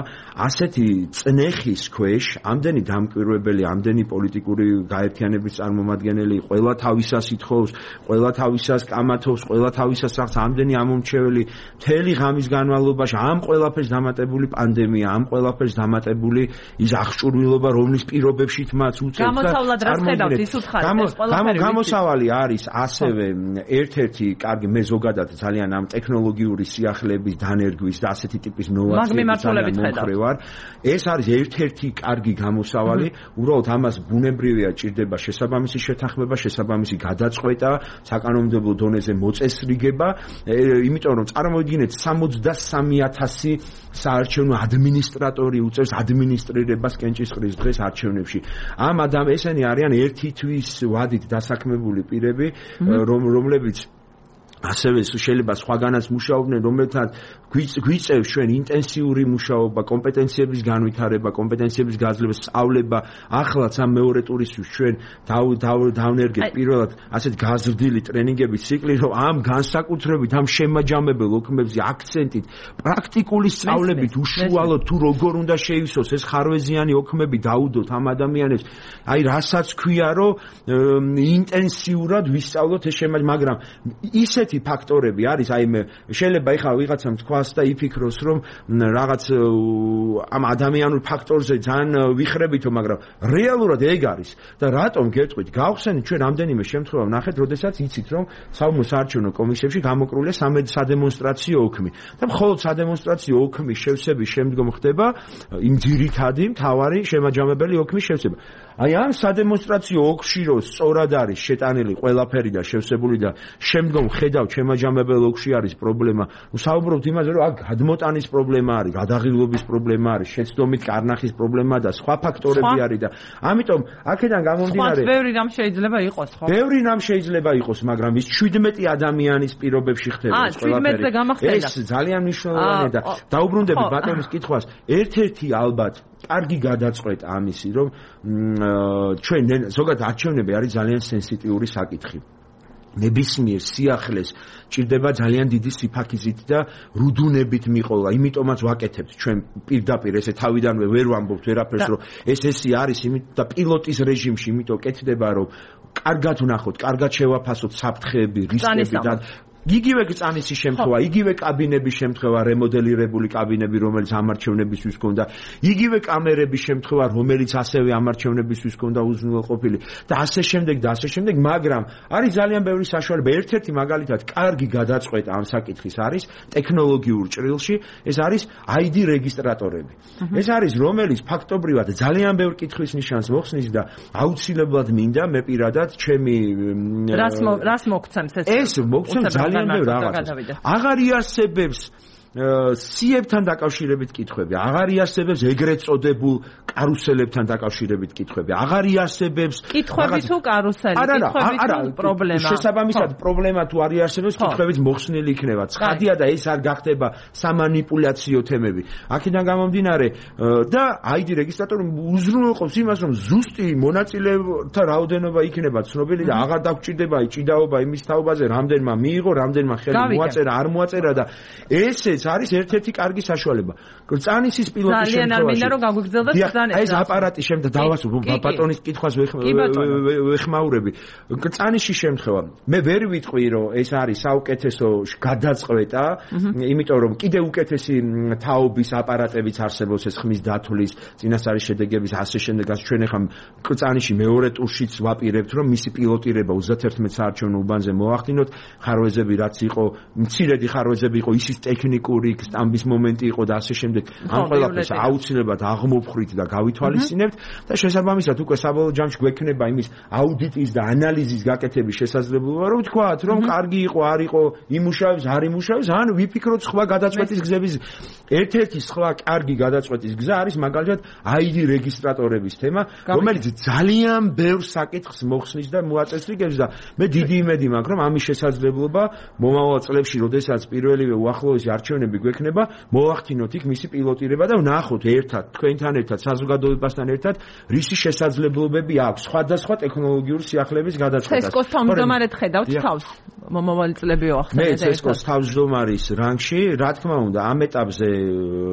ასეთი წნეხის ქვეშ, ამდენი დამკვირვებელი, ამდენი პოლიტიკური გაერთიანების წარმომადგენელი, ყველა თავისას ითხოვს, ყველა თავისას კამათობს, ყველა თავისას რაღაც ამდენი ამომრჩეველი მთელი ღამის განმავლობაში ამ ყველაფერს დამატებული პანდემია, ამ ყველაფერს დამატებული ის აღჭურვილობა, რომლის პირობებში მათ უწევთ გამოსავლად რა ხედავთ ის უთხარი გამოსავალი არის ასევე ერთ-ერთი კარგი მე ზოგადად ძალიან ამ ტექნოლოგიური სიახლეების დანერგვის და ასეთი ტიპის ნოვაციების მომხრევარ. ეს არის ერთ-ერთი კარგი გამოსავალი, უბრალოდ ამას ბუნებრივია ჭირდება შესაბამისი შეთანხმება, შესაბამისი გადაწყვეტა, საკანონმდებლო დონეზე მოწესრიგება, იმიტომ რომ წავიდგინეთ 63,000 საარჩევნო ადმინისტრატორი უწევს ადმინისტრირებას კენჭისყრის დღეს არჩევნებში. ამ ესენი არიან ერთი თვის ვადით დასაქმებული პირები, რომლებიც ასევე შეიძლება სხვაგანაც მუშაობდნენ, რომელთაც გვიწევს ჩვენ ინტენსიური მუშაობა, კომპეტენციების განვითარება, კომპეტენციების გაძლევა, სწავლება. ახლაც ამ მეორე ტურისთვის ჩვენ დავნერგეთ პირველად ასეთ გაზრდილი ტრენინგების ციკლი, რომ ამ განსაკუთრებით ამ შემაჯამებელ ოქმებზე აქცენტით, პრაქტიკული სწავლებით უშუალოდ თუ როგორ უნდა შეივსოს ეს ხარვეზიანი ოქმები დაუდოთ ამ ადამიანებს. აი რასაც ქვია, რომ ინტენსიურად ვისწავლოთ ეს შემაჯამებელი, მაგრამ ისეთი ფაქტორები არის, აი მე შეიძლება ეხლა ვიღაცამ თქვას და იფიქროს, რომ რაღაც ამ ადამიანურ ფაქტორზე ძალიან ვიხრებითო, მაგრამ რეალურად ეგ არის. და რატომ გეტყვით? გავხსენით ჩვენ რამდენიმე შემთხვევა ვნახეთ, როდესაც იცით, რომ საომრ საარჩევნო კომისიებში გამოკრულია სადემონსტრაციო ოქმი. და მხოლოდ სადემონსტრაციო ოქმის შევსების შემდგომ ხდება იმ ძირითადი მთავარი შემაჯამებელი ოქმის შევსება. აი ამ სადემონსტრაციო ოქში რო სწორად არის შეტანილი ყველაფერი და შევსებული და შემდგომ ხედავ შემაჯამებელ ოქში არის პრობლემა. ვსაუბრობთ იმაზე, რომ აქ გადმოტანის პრობლემა არის, გადაღილობის პრობლემა არის, შეცდომით კარნახის პრობლემა და სხვა ფაქტორები არის და ამიტომ აქედან გამომდინარე ბევრი რამ შეიძლება იყოს, ხო? ბევრი რამ შეიძლება იყოს, მაგრამ ის 17 ადამიანის პირობებში ხდება ეს ყველაფერი. ეს ძალიან მნიშვნელოვანია და დაუბრუნდები ბატონის კითხვას. ერთ-ერთი ალბათ კარგი გადაწყვეტ ამისი, რომ ჩვენ ზოგადად არჩევნები არის ძალიან სენსიტიური საკითხი. ნებისმიერ სიახლეს ჭირდება ძალიან დიდი სიფაქიზით და რუდუნებით მიყოლა. იმიტომაც ვაკეთებთ ჩვენ პირდაპირ ესე თავიდანვე ვერ ვამბობთ ვერაფერს, რომ ესე არის, იმიტომ და პილოტის რეჟიმში, იმიტომ კეთდება, რომ კარგად ვნახოთ, კარგად შევაფასოთ საფრთხეები, რისკები და იგივე წანისი შემთხვევა, იგივე კაბინების შემთხვევა, რემოდელირებული კაბინები, რომელიც ამარჩევნებისთვის ჰქონდა, იგივე კამერების შემთხვევა, რომელიც ასევე ამარჩევნებისთვის ჰქონდა უზრუნველყოფილი და ასე შემდეგ, მაგრამ არის ძალიან ბევრი საშუალება. ერთ-ერთი მაგალითად კარგი გადაწყვეტა ამ საკითხის არის ტექნოლოგიურ ჭრილში, ეს არის ID რეგისტრატორები. ეს არის რომელიც ფაქტობრივად ძალიან ბევრ კითხვის ნიშანს მოხსნის და აუცილებლად მინდა მე პირადად ჩემი რას მოგცემს ეს მოგცემს ძალიან ბევრ რაღაცას. აღარ იარსებებს სიებთან დაკავშირებით კითხვები, აღარ იარსებებს ეგრეთ წოდებულ კარუსელებთან დაკავშირებით კითხვები, აღარ იარსებებს კითხვები თუ კარუსელი, კითხვები თუ პრობლემა. შესაბამისად, პრობლემა თუ არ იარსებებს, კითხვებით მოხსნილი იქნება. ცხადია და ეს არ გახდება სამანიპულაციო თემები. აქედან გამომდინარე და ID რეგისტრატორი უზრუნველყოფს იმას, რომ ზუსტი მონაწილეთა რაოდენობა იქნება ცნობილი და აღარ დაგჭირდება ჭიდაობა იმის თაობაზე, რამდენმა მიიღო, რამდენმა ხელი მოაწერა, არ მოაწერა და ესეც არის ერთ-ერთი კარგი საშუალება. კრწანისის პილოტის შემთხვევაში. ძალიან არ მინდა რომ გაგვიგრძელდეს ბრძანება. ეს აპარატი შემდგომ დავასრულებ ბატონის კითხვას ვეხმაურები. კრწანიშის შემთხვევა. მე ვერ ვიტყვი რომ ეს არის საუკეთესო გადაწყვეტა, იმიტომ რომ კიდე უკეთესი თაობის აპარატებიც არსებობს ეს ხმის დათვლის, წინასწარი შედეგების ასე შემდეგ. ჩვენ ახლა კრწანიში მეორე ტურშიც ვაპირებთ რომ მისი პილოტირება 31 საარჩევნო უბანზე მოახდინოთ. ხარვეზები რაც იყო, მცირედი ხარვეზები იყო, ისიც ტექნიკურ სტამბის მომენტი იყო და ასე შემდეგ. ამ ყველაფერს აუცილებლად აღმოფხრით და გავითვალისწინებთ და შესაბამისად უკვე საბოლოო ჯამში გვექნება იმის აუდიტის და ანალიზის გაკეთების შესაძლებლობა, რომ ვთქვათ, რომ კარგი იყო, არ იყო, იმუშავებს, არ იმუშავებს, ან ვიფიქროთ სხვა გადაწყვეტის გზების. ერთ-ერთი სხვა კარგი გადაწყვეტის გზა არის მაგალითად ID რეგისტრატორების თემა, რომელიც ძალიან ბევრ საკითხს მოხსნის და მოაწესრიგებს და მე დიდი იმედი მაქვს, რომ ამის შესაძლებლობა მომავალ წლებში, როდესაც პირველივე უახლოესი არჩევნები გვექნება, მოვახდინოთ იქ მისი პილოტირება და ვნახოთ ერთად, თქვენთან ერთად, საზოგადოებასთან ერთად, რისი შესაძლებლობები აქვს სხვადასხვა ტექნოლოგიური სიახლეების გადაწყვეტას. ცესკოს თავმჯდომარედ ხედავთ თავს. მომავალი წლები ვახსენეთ. მე ცესკოს თავმჯდომარის რანგში, რა თქმა უნდა, ამ ეტაპზე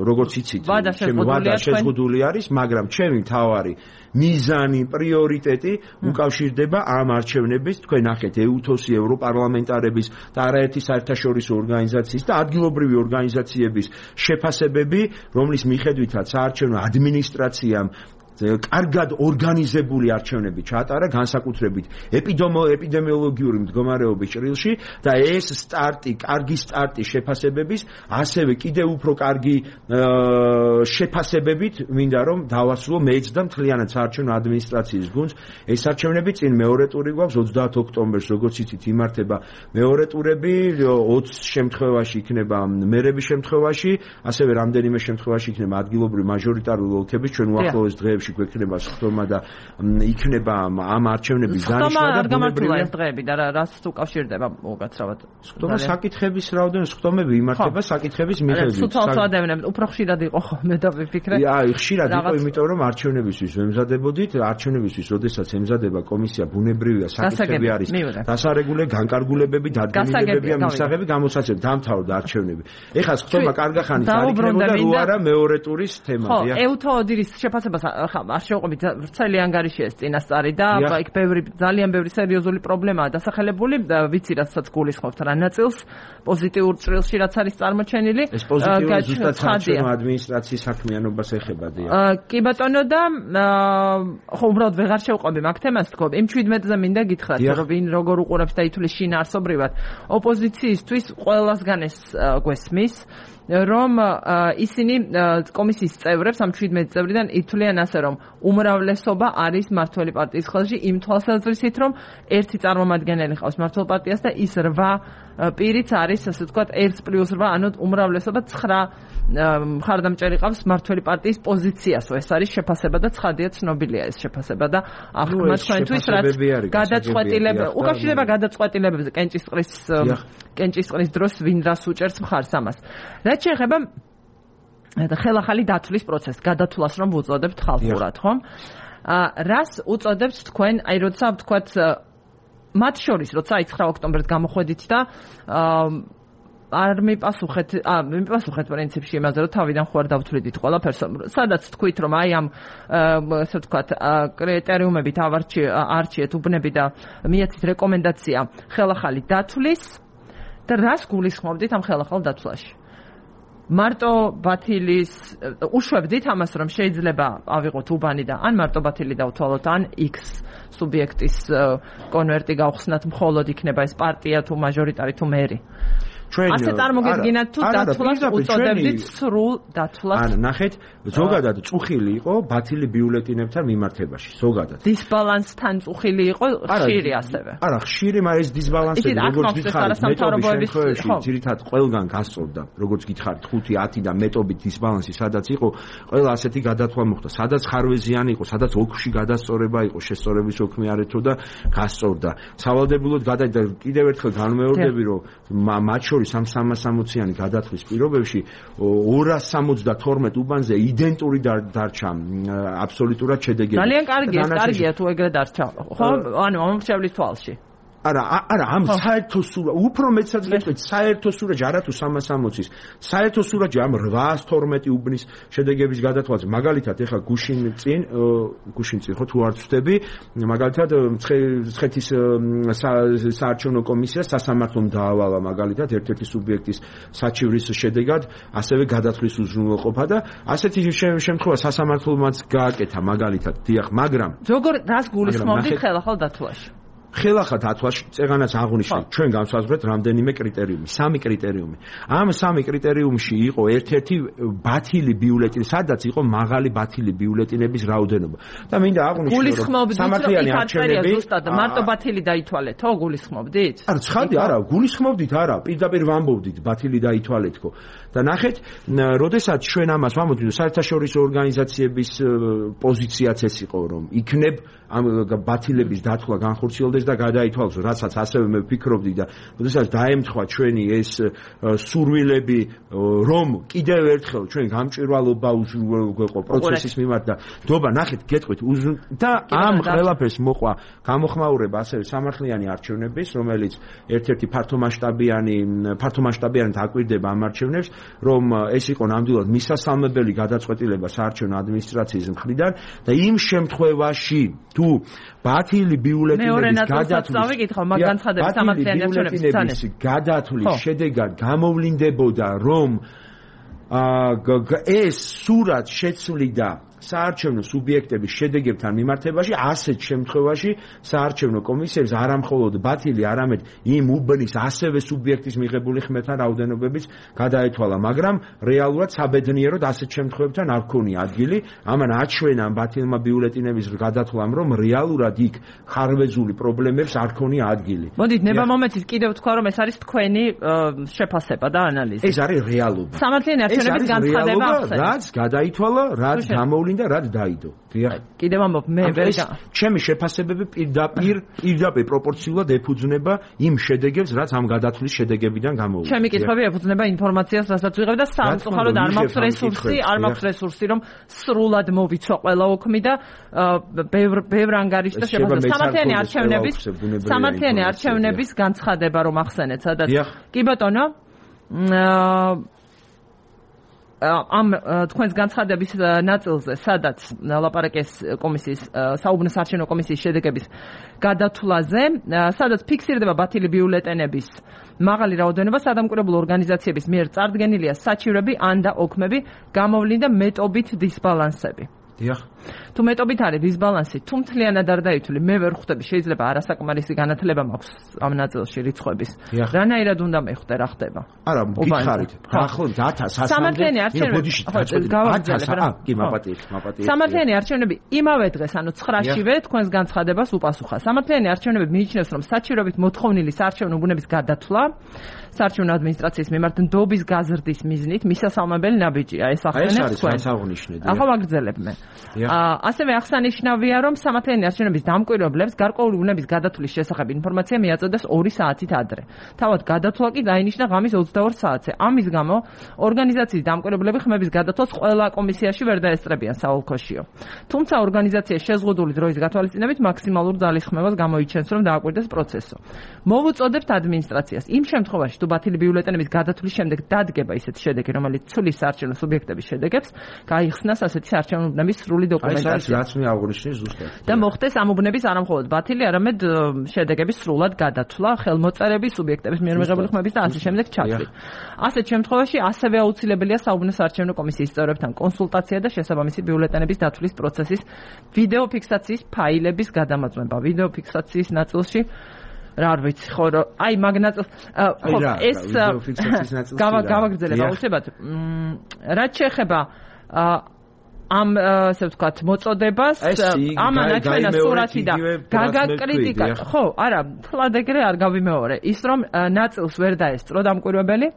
როგორც იცით, ჩემი ვადა შეზღუდული არის, მაგრამ ჩემი მთავარი მიზანი, პრიორიტეტი უკავშირდება ამ არჩევნების, თქვენ ნახეთ EUTOS-ი, ევროპარლამენტარების და არაერთი საერთაშორისო ორგანიზაციის და ადგილობრივი ორგანიზაციების შეფასებები, რომლის მიხედვითაც საარჩევნო ადმინისტრაციამ კარგად ორგანიზებული არჩევნები ჩაატარა განსაკუთრებით ეპიდემიოლოგიური მდგომარეობის ჭრილში და ეს კარგი სტარტი შეფასებების, ასევე კიდევ უფრო კარგი შეფასებებით მინდა რომ დავასრულო მეც და მთლიანად საარჩევნო ადმინისტრაციის გუნდს. ეს არჩევნები წინ მეორე ტური გვაქვს 30 ოქტომბერს, როგორც იცით, იმართება მეორე ტურები, 20 შემთხვევაში იქნება მერების შემთხვევაში, ასევე რამდენიმე შემთხვევაში იქნება ადგილობრივი მაჟორიტარული ოლქების, ჩვენ უახლოეს დღეებში გვექნება სხდომა და იქნება ამ არჩევნების დანიშნა და გამართულა ეს დღეები და რაც უკავშირდება უკაცრავად. სხდომა საკითხების რაოდენობა, სხდომები იმართება საკითხების მიხედვით. სუცალსადევნებ უფრო ხშირად იყო ხოლმე და ვიფიქრე. აი, ხშირად იყო, იმიტომ რომ არჩევნებისთვის ვემზადებოდით, არჩევნებისთვის, როდესაც ემზადება კომისია, ბუნებრივია, საკითხები არის დასარეგულე, განკარგულებები, დადგენილებებია, მისაღები, გამოსაცემ დამთავრდა არჩევნები. ეხლა სხდომა კარგა ხანის არ იქნებოდა, რო არა მეორე ტურის თემაა. ევთო ოდირის შეფასებას არ შევყვებით, ვრცელი ანგარიში ეს წინასწარი და იქ ძალიან ბევრი სერიოზული პრობლემაა დასახელებული, ვიცი რასაც გულისხმობთ რა ნაწილს პოზიტიურ ჭრილში რაც არის წარმოჩენილი. ეს პოზიტიური ზუსტად საარჩევნო ადმინისტრაციის საქმიანობას ეხება. კი ბატონო და ხო უბრალოდ ვეღარ შევყვები მაგ თემას თქო. იმ 17-ზე მინდა გითხრათ, რომ ვინ როგორ უყურებს და ითვლის შინაარსობრივად ოპოზიციისთვის ყველასგან ეს გვესმის, რომ ისინი კომისიის წევრებს ამ 17 წევრიდან ითვლიან ასე, რომ უმრავლესობა არის მმართველი პარტიის ხელში იმ თვალსაზრისით, რომ ერთი წარმომადგენელი ყავს მმართველ პარტიას და ის 8 პირიც არის, ასე ვთქვათ, 1+8, ანუ უმრავლესობა 9 მხარდამჭერი ყავს მმართველი პარტიის პოზიციასო. ეს არის შეფასება და ცხადია ცნობილია ეს შეფასება და ახლა თქვენთვის რაც გადაწყვეტილება უკავშირდება გადაწყვეტილებებზე კენჭისყრის დროს ვინ რას უჭერს მხარს ამას. რაც შეეხება ხელახალი დათვლის პროცესს, გადათვლას რომ უწოდებთ ხალხურად, ხო? რას უწოდებთ თქვენ, აი როცა ვთქვათ მათ შორის, როცა 9 ოქტომბერს გამოხვედით და არ მიპასუხეთ პრინციპში იმაზე, რომ თავიდან ხوار დავთვლიდით ყველაფერს, სადაც თქვით, რომ აი ამ ასე ვთქვათ კრიტერიუმებით არჩიეთ უბნები და მიეცით რეკომენდაცია ხელახალი დათვლის და რას გულისხმობდით ამ ხელახალ დათვლაში? მარტო ბათილის უშვებდით ამას, რომ შეიძლება ავიღოთ უბანი და ან მარტო ბათილი დავთვალოთ, ან X სუბიექტის კონვერტი გავხსნათ, მხოლოდ იქნება ეს პარტია თუ მაჟორიტარი თუ მერი. ასე წარმოგედგინათ თუ დათვლას უწოდებდით სრულ დათვლას. ან ნახეთ, ზოგადად წუხილი იყო ბათილი ბიულეტინებთან მიმართებაში, ზოგადად. დისბალანსთან წუხილი იყო ხშირი ასევე. არა, ხშირი, მაგრამ ეს დისბალანსები როგორც გითხარით, მეტობის შემთხვევაში ძირითადად ყველგან გასწორდა, როგორც გითხარით, 5-10 და მეტობით დისბალანსი სადაც იყო, ყველა ასეთი გადათვლა მოხდა, სადაც ხარვეზიანი იყო, სადაც ოქში გადასწორება იყო, შესწორების ოქმი არ ეთო და გასწორდა. სავალდებულოდ გადაიდა კიდევ ერთხელ განმეორდები, რომ მათ შორის ამ 360-იანი გადათვლის პირობებში 272 უბანზე იდენტური დარჩა აბსოლუტურად შედეგები. ძალიან კარგია თუ ეგრე დარჩა. ხო, ანუ მომრჩევლის თვალში. არა, ამ საერთო სურა, უფრო მეცად გეტყვით, საერთო სურაჯი არა თუ 360-ის. საერთო სურაჯი ამ 812 უბნის შედეგების გადათვალზე. მაგალითად, ეხლა გუშინ წინ ხო თუ არ ვწდები, მაგალითად მცხეთის საარჩევნო კომისიას სასამართლომ დაავალა მაგალითად ერთ-ერთი სუბიექტის საჩივრის შედეგად, ასევე გადათვლის უზრუნველყოფა და ასეთი შემთხვევა სასამართლომაც გააკეთა მაგალითად, დიახ, მაგრამ როგორ რას გულისხმობდით ხელახალ დათვლაში? ხელახალ დათვლაში წეგანაც აღვნიშნეთ ჩვენ განსაზღვრეთ რამდენიმე კრიტერიუმი, 3 კრიტერიუმი. ამ 3 კრიტერიუმში იყო ერთ-ერთი ბათილი ბიულეტინი, სადაც იყო მაღალი ბათილი ბიულეტინების რაოდენობა. და მინდა აღვნიშნო, რომ სამართლიანი არჩევნები ზუსტად მარტო ბათილი დაითვალეთო, გულისხმობდით? არა, ცხადი არა, გულისხმობდით არა, პირდაპირ ვამბობდით ბათილი დაითვალეთო. და ნახეთ, როდესაც ჩვენ ამას ვამბობთ, საერთაშორისო ორგანიზაციების პოზიციაც ეს იყო, რომ იქნებ ამ ბათილების დათვლა განხორციელდეს და გადაითვალოს, რასაც ასევე მე ვფიქრობდი და როდესაც დაემთხვა ჩვენი ეს სურვილები, რომ კიდევ ერთხელ ჩვენ გამჭვირვალობა უზრუნველყო პროცესის მიმართ და ნდობა, ნახეთ, გეტყვით და ამ ყველაფერს მოყვა გამოხმაურება ასევე სამართლიანი არჩევნების, რომელიც ერთ-ერთი ფართომასშტაბიანად აკვირდება ამ არჩევნებს, რომ ეს იყო ნამდვილად მისასალმებელი გადაწყვეტილება საარჩევნო ადმინისტრაციის მხრიდან და იმ შემთხვევაში თუ ბათილი ბიულეტინების გადათვლის შედეგად გამოვლინდებოდა, რომ ეს სურათ შეცვლიდა საარჩევნო სუბიექტების შედეგებთან მიმართებაში ასეთ შემთხვევაში საარჩევნო კომისიებს არამხოლოდ ბათილი, არამედ იმ უბნის ასევე სუბიექტის მიღებული ხმეთა რაოდენობებიც გადაეთვალა, მაგრამ რეალურად საბედნიეროდ ასეთ შემთხვევებთან არ ქონია ადგილი. ამან აჩვენა ბათილმა ბიულეტინების გადათვლამ, რომ რეალურად იქ ხარვეზული პრობლემებს არ ქონია ადგილი. მოდით ნება მომენტის კიდევ თქვა, რომ ეს არის თქვენი შეფასება და ანალიზი. ეს არის რეალობა. სამართლიანი არჩევნების განცხადება ახსენეთ. რაც გადაითვალა, რაც გამოვლინდა, რაც დაიდო. კიდევ ამბობ, მე ჩემი შეფასებები პირდაპირ პროპორციულად ეფუძნება იმ შედეგებს, რაც ამ გადათვლის შედეგებიდან გამოვიდა. ჩემი კითხვები ეფუძნება ინფორმაციას, რასაც ვიღებ და სამწუხაროდ არ მაქვს რესურსი, რომ სრულად მოვიცვა ყველა ოქმი და ბევრ ანგარიშს და შეფასება. სამართლიანი არჩევნების განცხადება რომ ახსენეთ, სადაც კი ბატონო, ამ თქვენს განცხადების ნაწილზე, სადაც ლაპარაკეს კომისიის საუბნო საარჩევნო კომისიის შედეგების გადათვლაზე, სადაც ფიქსირდება ბათილი ბიულეტენების მაღალი რაოდენობა, სადამკვირვებლო ორგანიზაციების მიერ წარდგენილია საჩივრები ან და ოქმები, გამოვლინდა მეტობით დისბალანსები. თუ მეტობით არის დისბალანსი, თუ მთლიანად არ დაითვლი, მე ვერ ხვდები, შეიძლება არასაკმარისი განათლება მაქვს ამ ნაწილში რიცხვების. რანაირად უნდა მეხვდე, რა ხდება? არა, გითხარით. ახლობთ 1000 სამართლიანი არჩევნები. სამართლიანი არჩევნები იმავე დღეს, ანუ 9-შივე თქვენს განცხადებას უპასუხა. სამართლიანი არჩევნები მიიჩნევს, რომ საჩივრებით მოთხოვნილი საარჩევნო უბნების გადათვლა საარჩევნო ადმინისტრაციის მიმართ ნდობის გაზრდის მიზნით მისასალმებელი ნაბიჯია. ეს ახსენებს თქვენ. ახლა ვაგრძელებ მე. ასევე აღსანიშნავია, რომ სამართლიანი არჩევნების დამკვირვებლებს გარკვეული უნების გადათვლის შესახებ ინფორმაცია მიაწოდეს 2 საათით ადრე. თავად გადათვლა კი დაინიშნა ღამის 22 საათზე. ამის გამო ორგანიზაციის დამკვირვებლები ხმების გადათვლას ყველა კომისიაში ვერ დაესწრებიან საოლქოშიო. თუმცა ორგანიზაციის შეზღუდული დროის გათვალისწინებით მაქსიმალურ ძალისხმევას გამოიჩენს, რომ დააკვირდეს პროცესო. მოვუწოდებთ ადმინისტრაციას იმ შემთხვევაში, თუ ბათილი ბიულეტენების გადათვლის შემდეგ დადგება ისეთი შედეგი, რომელიც ცვლის საარჩევნო სუბიექტების შედეგებს, გაიხსნას ასეთი საარჩევნო უბნების სრული დოკუმენტაცია. რაც მე აღნიშნე ზუსტად. და მოხდეს ამ უბნების არამხოლოდ ბათილი, არამედ შედეგების სრულად გადათვლა, ხელმოწერები, სუბიექტების მიერ მიღებული ხმების და ასე შემდეგ ჩათვლით. ასეთ შემთხვევაში ასევე აუცილებელია საუბნო საარჩევნო კომისიის წევრებთან კონსულტაცია და შესაბამისი ბიულეტენების დათვლის პროცესის ვიდეო ფიქსაციის ფაილების გადამოწმება. ვიდეო ფიქსაციის ნაწილში რა ვიცი, ხო, აი მაგნაწილს ხო, ეს გავაგრძელებ აუცილებლად. რაც შეეხება ამ ასე ვთქვათ მოწოდებას, ამან აჩვენა სურათი და გაგაკრიტიკა. ხო, არა, თლად ეგრე არ გავიმეორე. ის რომ ნაწილს ვერ დაესწრო დამკვირვებელი.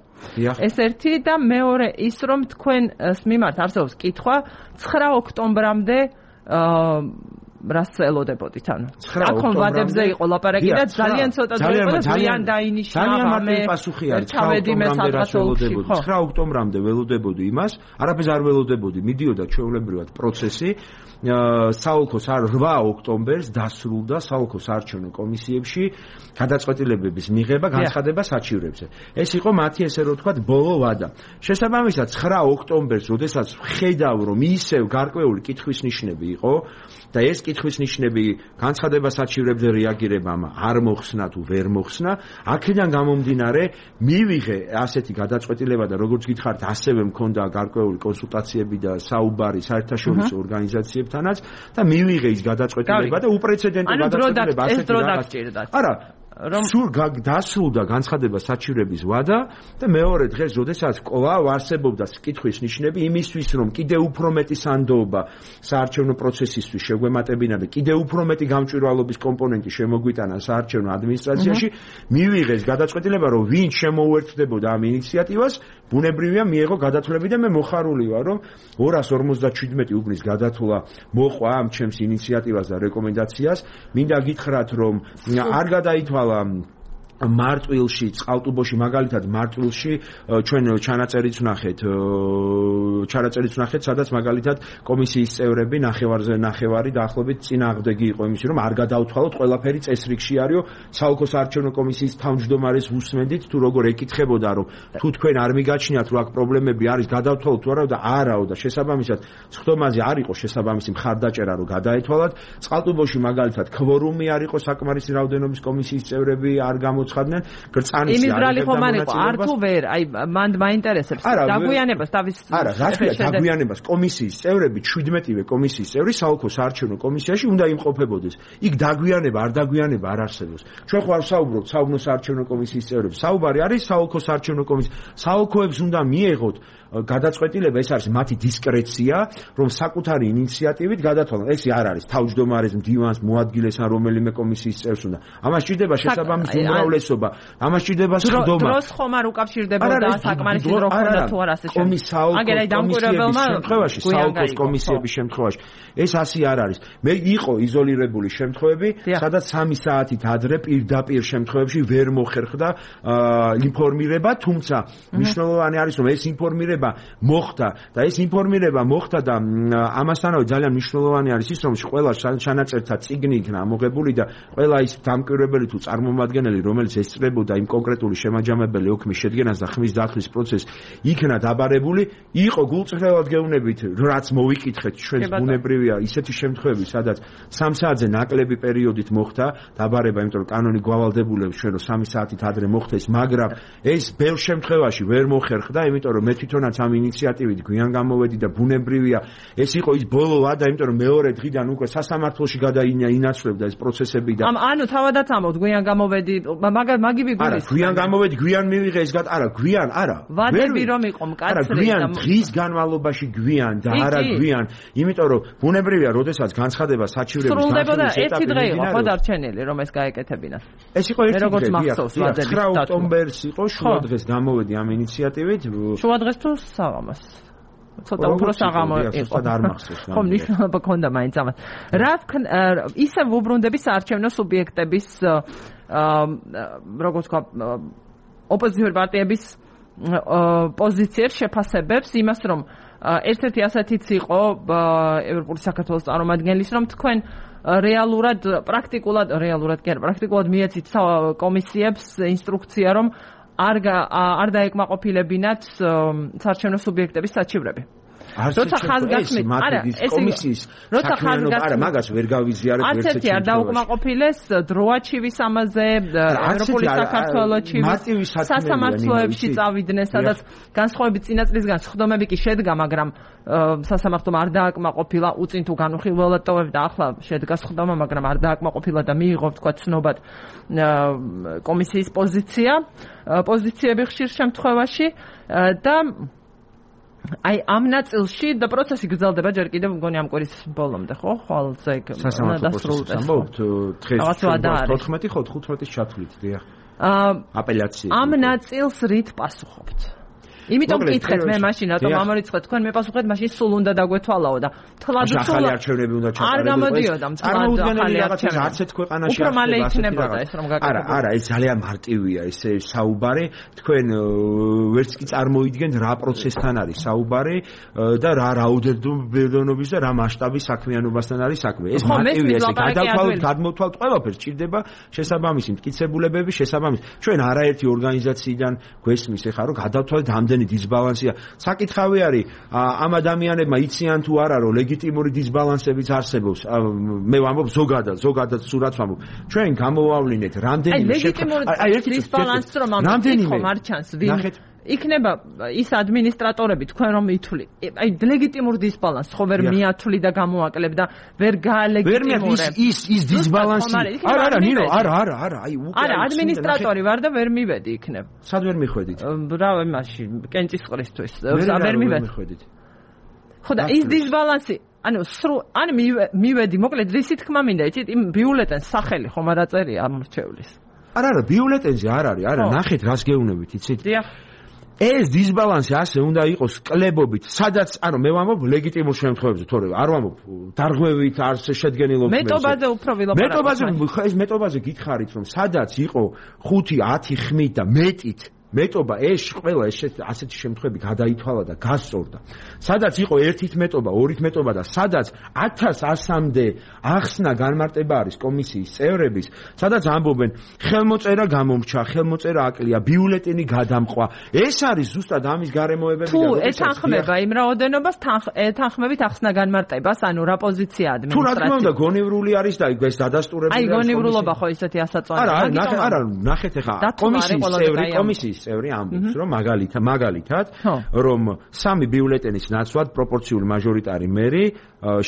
ეს ერთი და მეორე ის რომ თქვენს მიმართ არსებობს კითხვა 9 ოქტომბრამდე რას ელოდებოდით, ანუ აქონ ვადებზე იყო ლაპარაკი და ძალიან ცოტა დრო იყო და ძალიან დაინიშნა. ძალიან მარტივი პასუხი არის. 9 ოქტომბრამდე ველოდებოდი იმას, არაფერს არ ველოდებოდი. მიდიოდა ჩვეულებრივად პროცესი. საოლქო 8 ოქტომბერს დასრულდა საოლქო საარჩევნო კომისიებში გადაწყვეტილებების მიღება განცხადება საჩივრებზე. ეს იყო მათი ესე რომ ვთქვათ ბოლო ვადა. შესაბამისად 9 ოქტომბერს, როდესაც ხედავ რომ ისევ გარკვეული კითხვის ნიშნები იყო და ეს კითხვის ნიშნები განცხადება საჩივრებზე რეაგირებამ არ მოხსნა თუ ვერ მოხსნა, აქედან გამომდინარე მივიღე ასეთი გადაწყვეტილება და როგორც გითხარით, ასევე მქონდა გარკვეული კონსულტაციები და საუბარი საერთაშორისო ორგანიზაციებთანაც და მივიღე ის გადაწყვეტილება და უპრეცედენტო გადაწყვეტილება ასეთი რაღაც. არა, სულ დასრულდა განცხადება საჩივრების ვადა და მეორე დღეს, როდესაც კვლავ არსებობდა კითხვის ნიშნები იმისთვის, რომ კიდევ უფრო მეტი სანდოობა საარჩევნო პროცესისთვის შეგვემატებინა და კიდევ უფრო მეტი გამჭვირვალობის კომპონენტი შემოგვიტანა საარჩევნო ადმინისტრაციაში, მივიღეს გადაწყვეტილება, რომ ვინ შემოუერთდებოდა ამ ინიციატივას, ბუნებრივია მიეღო გადათვლები და მე მოხარული ვარ, რომ 257 უბნის გადათვლა მოყვა ამ ჩემს ინიციატივას და რეკომენდაციას. მინდა გითხრათ, რომ არ გადაითვალა მარტვილში, წყალტუბოში, მაგალითად მარტვილში ჩვენ ჩანაწერიც ვნახეთ, სადაც მაგალითად კომისიის წევრები ნახევარი დაახლოებით წინააღმდეგი იყო იმის, რომ არ გადაუთვალოთ, ყველაფერი წესრიგში არისო. საოლქო საარჩევნო კომისიის თავმჯდომარეს ვუსმენდით, თუ როგორ ეკითხებოდა, რომ თუ თქვენ არ მიგაჩნიათ, რომ აქ პრობლემები არის, გადავთვალოთ თუ არა და არაო და შესაბამისად სხდომაზე არ იყო შესაბამისი მხარდაჭერა, რომ გადაეთვალათ. წყალტუბოში მაგალითად ქვორუმი არ იყო, საკმარისი რაოდენობის კომისიის წევრები არ გამოცხადდნენ ცოცხადნენ გრწანის იმის ბრალი ხომ არ იყო არ თუ ვერ აი მან მაინტერესებს დაგვიანებას თავის არა რასკია დაგვიანებას კომისიის წევრები 17-ვე კომისიის წევრი საოლქო საარჩევნო კომისიაში უნდა იმყოფებოდეს იქ დაგვიანება არ დაგვიანება არ არსებობს ჩვენ ხარ საუბრობთ საუბნო საარჩევნო კომისიის წევრები საუბარი არის საოლქო საარჩევნო კომისიის საოლქოებს უნდა მიეღოთ გადაწყვეტილება ეს არის მათი დისკრეცია რომ საკუთარი ინიციატივით გადათვალონ ეს არ არის თავმჯდომარის მდივანს მოადგილეს ან რომელიმე კომისიის წევრს უნდა ამას ჭირდება შესაბამისი უმრავლესობა ამას ჭირდება სხდომა დროს ხომ არ უკავშირდებოდა საკმარისი დრო ხონდა თუ არ ასე შემთხვევაში საოლქოს კომისიების შემთხვევაში ეს ასე არ არის მე იყო იზოლირებული შემთხვევები სადაც 3 საათით ადრე პირდაპირ შემთხვევებში ვერ მოხერხდა ინფორმირება თუმცა მნიშვნელოვანი არის რომ ეს ინფორმირება მოხდა და ეს ინფორმირება მოხდა და ამასთანავე ძალიან მნიშვნელოვანი არის ის რომ ყველა ჩანაწერთა წიგნი იქნა ამოღებული და ყველა ის დამკვირვებელი თუ წარმომადგენელი რომელიც ესწრებოდა იმ კონკრეტული შემაჯამებელი ოქმის შედგენას და ხმის დახრის პროცესს იქნა დაბარებული იყო გულწრფელად გეუბნებით რაც მოვიკითხეთ ჩვენს ბუნებრივია ისეთი შემთხვევები სადაც 3 საათზე ნაკლები პერიოდით მოხდა დაბარება იმიტომ რომ კანონი გვავალდებულებს ჩვენ რომ 3 საათით ადრე მოხდეს მაგრამ ეს ბევრ შემთხვევაში ვერ მოხერხდა იმიტომ რომ მე თვითონაც ამ ინიციატივით გვიან გამოვედი და ბუნებრივია ეს იყო ის ბოლო ვადა იმიტომ რომ მეორე დღიდან უკვე სასამართლოში გადაინაცვლებდა ეს პროცესები და ანუ თავადაც ამბობთ გვიან გამოვედი მაგიბი გულის არა გვიან გამოვედი გვიან მივიღე ეს არა გვიან არა ვადები რომ იყო მკაცრი არა გვიან დღის განმავლობაში გვიან და არა გვიან იმიტომ რომ ბუნებრივია როდესაც განცხადება საჩივრების სრულდებოდა ერთი დღე იყო ხო დარჩენილი რომ ეს გაეკეთებინათ ეს იყო ერთი დღე 9 ოქტომბერს იყო შუა დღეს გამოვედი ამ ინიციატივით შუა დღეს თუ საღამოს ცოტა უფრო საღამო იყო და არ მახსოვს ხომ ნიშნულობა ქონდა მაინც ამას რა ისე ვუბრუნდები საარჩევნო სუბიექტების როგორც ვთქვა ოპოზიციური პარტიების პოზიციებს შეფასებებს იმას რომ ერთ-ერთი ასეთიც იყო ევროპული საქართველოს წარმომადგენლის რომ თქვენ პრაქტიკულად მიეცით კომისიებს ინსტრუქცია რომ არ დაეკმაყოფილებინათ საარჩევნო სუბიექტების საჩივრები. როცა ხაზგასმით, არა, ეს კომისიის არა, მაგას ვერ გავიზიარებ ერთ ერთ არ დაუკმაყოფილეს დროაჩივის ამაზე, ევროპული საქართველოში, სასამართლოებში წავიდნენ, სადაც განსხვავებით წინაწლისგან სხდომები კი შედგა, მაგრამ სასამართლომ არ დააკმაყოფილა, უწინ თუ განუხილველად ტოვებდა, ახლა შედგა სხდომა, მაგრამ არ დააკმაყოფილა და მიიღო თქვა ცნობად კომისიის პოზიციები ხშირ შემთხვევაში და აი ამ ნაწილში და პროცესი გრძელდება ჯერ კიდევ მგონი ამ კვირის ბოლომდე ხო ხვალზე დასრულდეს ამბობთ დღეს 14 ხო 15-ის ჩათვლით დიახ აპელაცია ამ ნაწილს რით პასუხობთ იმიტომ გითხეთ მე მაშინ რატომ ამორიცხეთ თქვენ მე პასუხეთ მაშინ სულ უნდა დაგვეთვალაო და თლად ახალი არჩევნები უნდა ჩატარებულიყო არ გამოდიოდა წარმოუდგენელი რაღაცა არც ერთ ქვეყანაში უფრო მალე იქნებოდა ეს რომ გაკეთებოდა არა ეს ძალიან მარტივია ეს საუბარი თქვენ ვერც კი წარმოიდგენთ რა პროცესთან არის საუბარი და რა რაოდენობის და რა მასშტაბის საქმიანობასთან არის საქმე ეს მარტივია ეს გადმოთვალთ ყველაფერს ჭირდება შესაბამისი მტკიცებულებები შესაბამისი ჩვენ არაერთი ორგანიზაციიდან გვესმის ეხლა რომ გადავთვალეთ ამდენი დისბალანსია. საკითხავი არის ამ ადამიანებმა იციან თუ არა რომ ლეგიტიმური დისბალანსებიც არსებობს. მე ვამბობ ზოგადად სურათს ვამბობ. ჩვენ გამოვავლინეთ რამდენიმე დისბალანსს რომ ამ მარჩანს ვინ იქნება ის ადმინისტრატორები თქვენ რომ ითვლი. აი ლეგიტიმურ დისბალანსს ხო ვერ მიათვლი და გამოაკლებ და ვერ გაალეგიტიმურებ. ის დისბალანსი არა ნინო არა აი უკვე არა ადმინისტრატორი ვარ და ვერ მივედი იქნებ. სად ვერ მიხვედით? რა მაშინ კენჭისყრისთვის ვერ მივედი. ხო და ის დისბალანსი ანუ ან მივედი მოკლედ რისი თქმა მინდა იცით იმ ბიულეტენს სახელი ხომ არ აწერია ამორჩევლის. არა ბიულეტენზე არ არის არა ნახეთ რას გეუბნებით იცით? დიახ ეს დისბალანსი ასე უნდა იყოს კლებობით, სადაც, ანუ მე ვამბობ ლეგიტიმურ შემთხვევებში, თორე არ ვამბობ დარღვევით არ შედგენილობებს. მეტობაზე უფრო ვილაპარაკობ. მეტობაზე გითხარით, რომ სადაც იყო 5-10 ხმით და მეტით მეტობა ეს ყველა ასეთი შემთხვევები გადაითვალა და გასწორდა. სადაც იყო ერთით მეტობა, ორით მეტობა და სადაც 1100-მდე ახსნა განმარტება არის კომისიის წევრების, სადაც ამბობენ ხელმოწერა გამომრჩა, ხელმოწერა აკლია, ბიულეტენი გადამყვა. ეს არის ზუსტად ამის გარემოებები და ეთანხმება იმ რაოდენობას ეთანხმებით ახსნა განმარტებას, ანუ რა პოზიცია ადმინისტრაცია. თუ რა თქმა უნდა გონივრული არის და ეს დადასტურებული არის. აი გონივრულობა ხო ისეთი ასაწვავი. არა, ნახეთ ახლა კომისიის წევრი ამბობს, რომ მაგალითად, რომ 3 ბიულეტენის ნაცვლად პროპორციული მაჟორიტარი მერი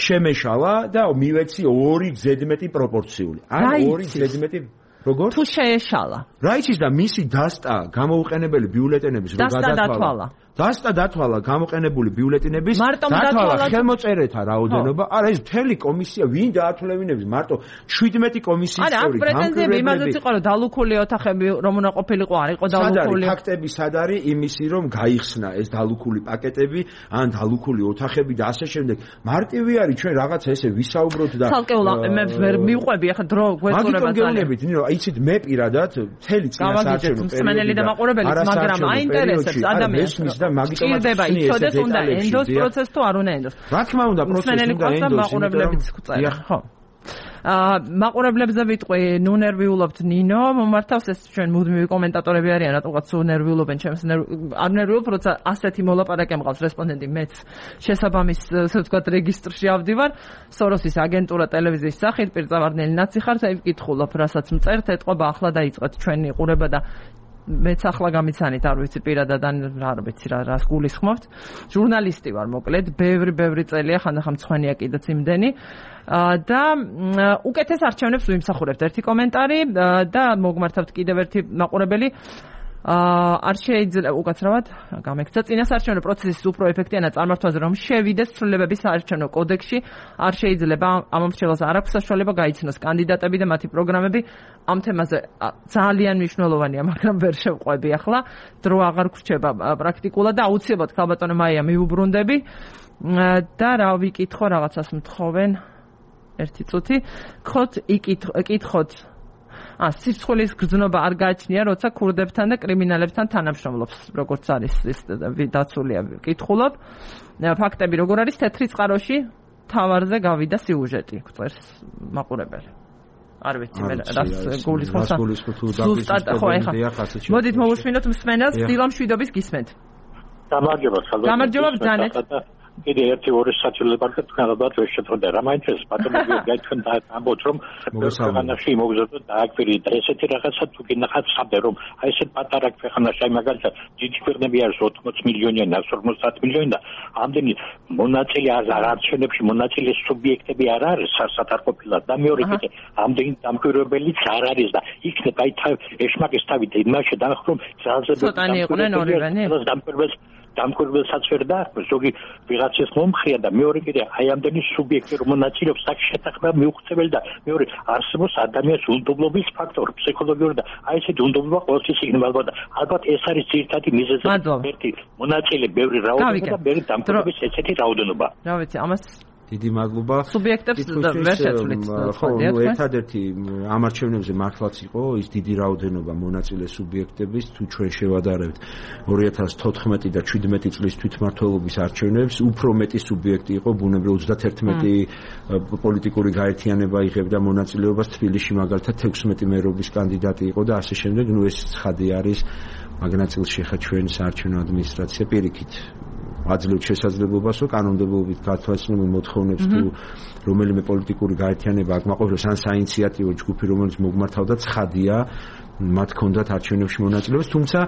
შემეშალა და მივეცი 2 ზედმეტი პროპორციული. ან 2 ზედმეტი როგორ? თუ შეეშალა. რა იცის და მისი დასტა გამოუყენებელი ბიულეტენების რო გადათვალა. დასტა დათვალა გამოყენებული ბიულეტენების დათვალა ხელმოწერეთა რაოდენობა. არა ეს მთელი კომისია ვინ დაათვალებინებს მარტო 17 კომისიის წევრი. არა, პრეტენზიები იმაზეც იყო რომ დალუქული ოთახები რომ უნდა ყოფილიყო, არ იყო დალუქული. ფაქტები სად არის იმისი რომ გაიხსნა ეს დალუქული პაკეტები, ან დალუქული ოთახები და ასე შემდეგ. მარტივი არის ჩვენ რაღაცა ესე ვისაუბროთ და ცალკეულ აყენებს ვერ მივყვები ახლა დრო გვეწურება ძალიან. მაგით ნინო, იცით მე პირადად მთელი წინასაარჩევნო პერიოდი მსმენელი და მაყურებელიც მაგრამ აინტერესებს ადამიანს ჭირდება იცოდეს უნდა ენდოს პროცესს თუ არ უნდა ენდოს. რა თქმა უნდა პროცესი უნდა ენდოს. მაყურებლებიც წერენ, ხო. მაყურებლებზე ვიტყვი, ნუ ნერვიულობთ ნინო, მომართავს ეს ჩვენ მუდმივი კომენტატორები არიან, რატომღაც სულ ნერვიულობენ, ჩემს არ ნერვიულობ, როცა ასეთი მოლაპარაკე მყავს რესპონდენტი, მეც შესაბამის, ასე ვთქვათ, რეგისტრში ავდივარ, სოროსის აგენტურა ტელევიზიის სახით, პირწავარდნელი ნაცი ხარ, აი ვკითხულობ, რასაც მწერთ, ეთყობა ახლა დაიწყეთ ჩვენი ყურება და მეც ახლა გამიცანით, არ ვიცი პირადად არ ვიცი რას გულისხმობთ. ჟურნალისტი ვარ, მოკლედ, ბევრი წელია, ხანდახან მწვანეა კიდეც იმდენი. და უკეთეს არჩევნებს ვიმსახურებთ. ერთი კომენტარი და მოგმართავთ კიდევ ერთი მაყურებელი. არ შეიძლება უკაცრავად გამექცა წინასაარჩევნო პროცესის უფრო ეფექტიანად წარმართვაზე რომ შევიდეს ცვლილებების საარჩევნო კოდექსში არ შეიძლება ამ მომხრეებს არ აქვს საშუალება გაიცნოს კანდიდატები და მათი პროგრამები ამ თემაზე ძალიან მნიშვნელოვანია მაგრამ ვერ შევყვები ახლა დრო აღარ გრჩება პრაქტიკულად და აუცილებლად ქალბატონო მაია მიუბრუნდები და რა ვიკითხო რაღაცას მთხოვენ ერთი წუთი კითხოთ სიცოცხლის გრძნობა არ გააჩნია, როცა ქურდებთან და კრიმინალებთან თანამშრომლობს, როგორც არის ეს დაცულია კითხულობ. ფაქტები როგორ არის თეთრი წყაროში თავარზე გავიდა სიუჟეტი, გვწერს მაყურებელი. არ ვიცი მე რას გულისხმობს. ზუსტად ხო ეხა. მოდით მოვუსმინოთ მსმენელს დილა მშვიდობის გისმენთ. გამარჯობა ბრძანეთ. კიდე ერთი ორი საჭიროება თქვენადაც ვერ შეწყვეტა რა მაინტერესებს ბატონები გაითქვენ და ამბობთ რომ ქვეყანაში მოგზაურობ და აკвиრი და ესეთი რაღაცა თუ გინახავთ საბე რომ აი ესეთ პატარა ქვეყანაში აი მაგალითად დიდი ქვეყნები არის 80 მილიონი ან 50 მილიონი და ამდენი მონაწილე არჩევნებში მონაწილე სუბიექტები არ არის სასად არ ყოფილა და მეორე კიდე ამდენი დამკვირვებელიც არ არის და იქნებ აი ეშმაკის თავით იმაში დახრომ ძალზედ დამკვირვებელსაც ვერ დააქვს ზოგი ვიღაცის მომხრია და მეორე კიდე აი ამდენი სუბიექტი რომ მონაწილეობს აქ შეთანხმება მიუღწეველი და მეორე არსებობს ადამიანის უნდობლობის ფაქტორი ფსიქოლოგიური და აი ესეთი უნდობლობა ყოველთვის იქნება და ალბათ ეს არის ძირითადი მიზეზი ერთი მონაწილე ბევრი რაოდენობა და ბევრი დამკვირვების ესეთი რაოდენობა რა ვიცი ამას დიდი მადლობა. სუბიექტებს ვერ შეცვლით. ხო, ერთადერთი ამ არჩევნებზე მართლაც იყო ის დიდი რაოდენობა მონაწილე სუბიექტების, თუ ჩვენ შევადარებთ 2014 და 17 წლის თვითმმართველობის არჩევნებს, უფრო მეტი სუბიექტი იყო, ბუნებრივ 31 პოლიტიკური გაერთიანება იღებდა მონაწილეობას თბილისში, მაგალითად 16 მერობის კანდიდატი იყო და ასე შემდეგ, ნუ ეს ცხადი არის მაგ ნაწილში ხა ჩვენ საარჩევნო ადმინისტრაცია პირიქით აძლევთ შესაძლებლობას, რომ კანონმდებლობით გათვალისწინებულ მოთხოვნებს თუ რომელიმე პოლიტიკური გაერთიანება აქ მაყოფილებს ან საინიციატივო ჯგუფი, რომელიც მოგმართავდა ცხადია, მათ ჰქონდათ არჩევნებში მონაწილეობას, თუმცა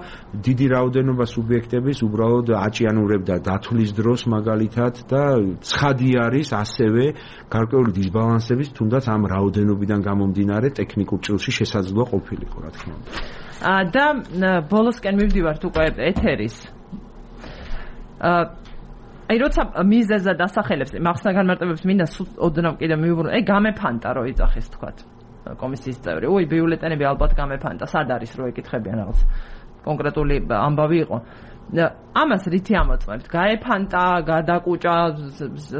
დიდი რაოდენობა სუბიექტების უბრალოდ აჭიანურებდა დათვლის დროს მაგალითად და ცხადი არის ასევე გარკვეული დისბალანსების, თუნდაც ამ რაოდენობიდან გამომდინარე ტექნიკურ ჭრილში შესაძლოა ყოფილიყო, რა თქმა უნდა. და ბოლოსკენ მივდივართ უკვე ეთერის აი როცა მიზეზა დასახელებს მახსნა განმარტებებს მინდა ოდნავ კიდე მივუბრუნო აი გამეფანტა რო იწახეს თქვათ კომისიის წევრი უი ბიულეტენები ალბათ გამეფანტა სად არის რო ეკითხებიან რაღაც კონკრეტული ამბავი იყო ამას რითი ამოწმებთ? გაეფანტა, გადაკუჭა,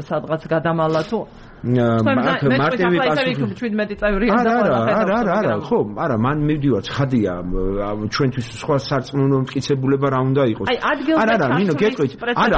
სადღაც გადამალა თუ მარტივი პასუხი 17 წევრია და არა, ხო, არა, მან მივდივარ, ცხადია, ჩვენთვის სხვა სარწმუნო მტკიცებულება რა უნდა იყოს. არა, ნინო, გეტყვით. არა,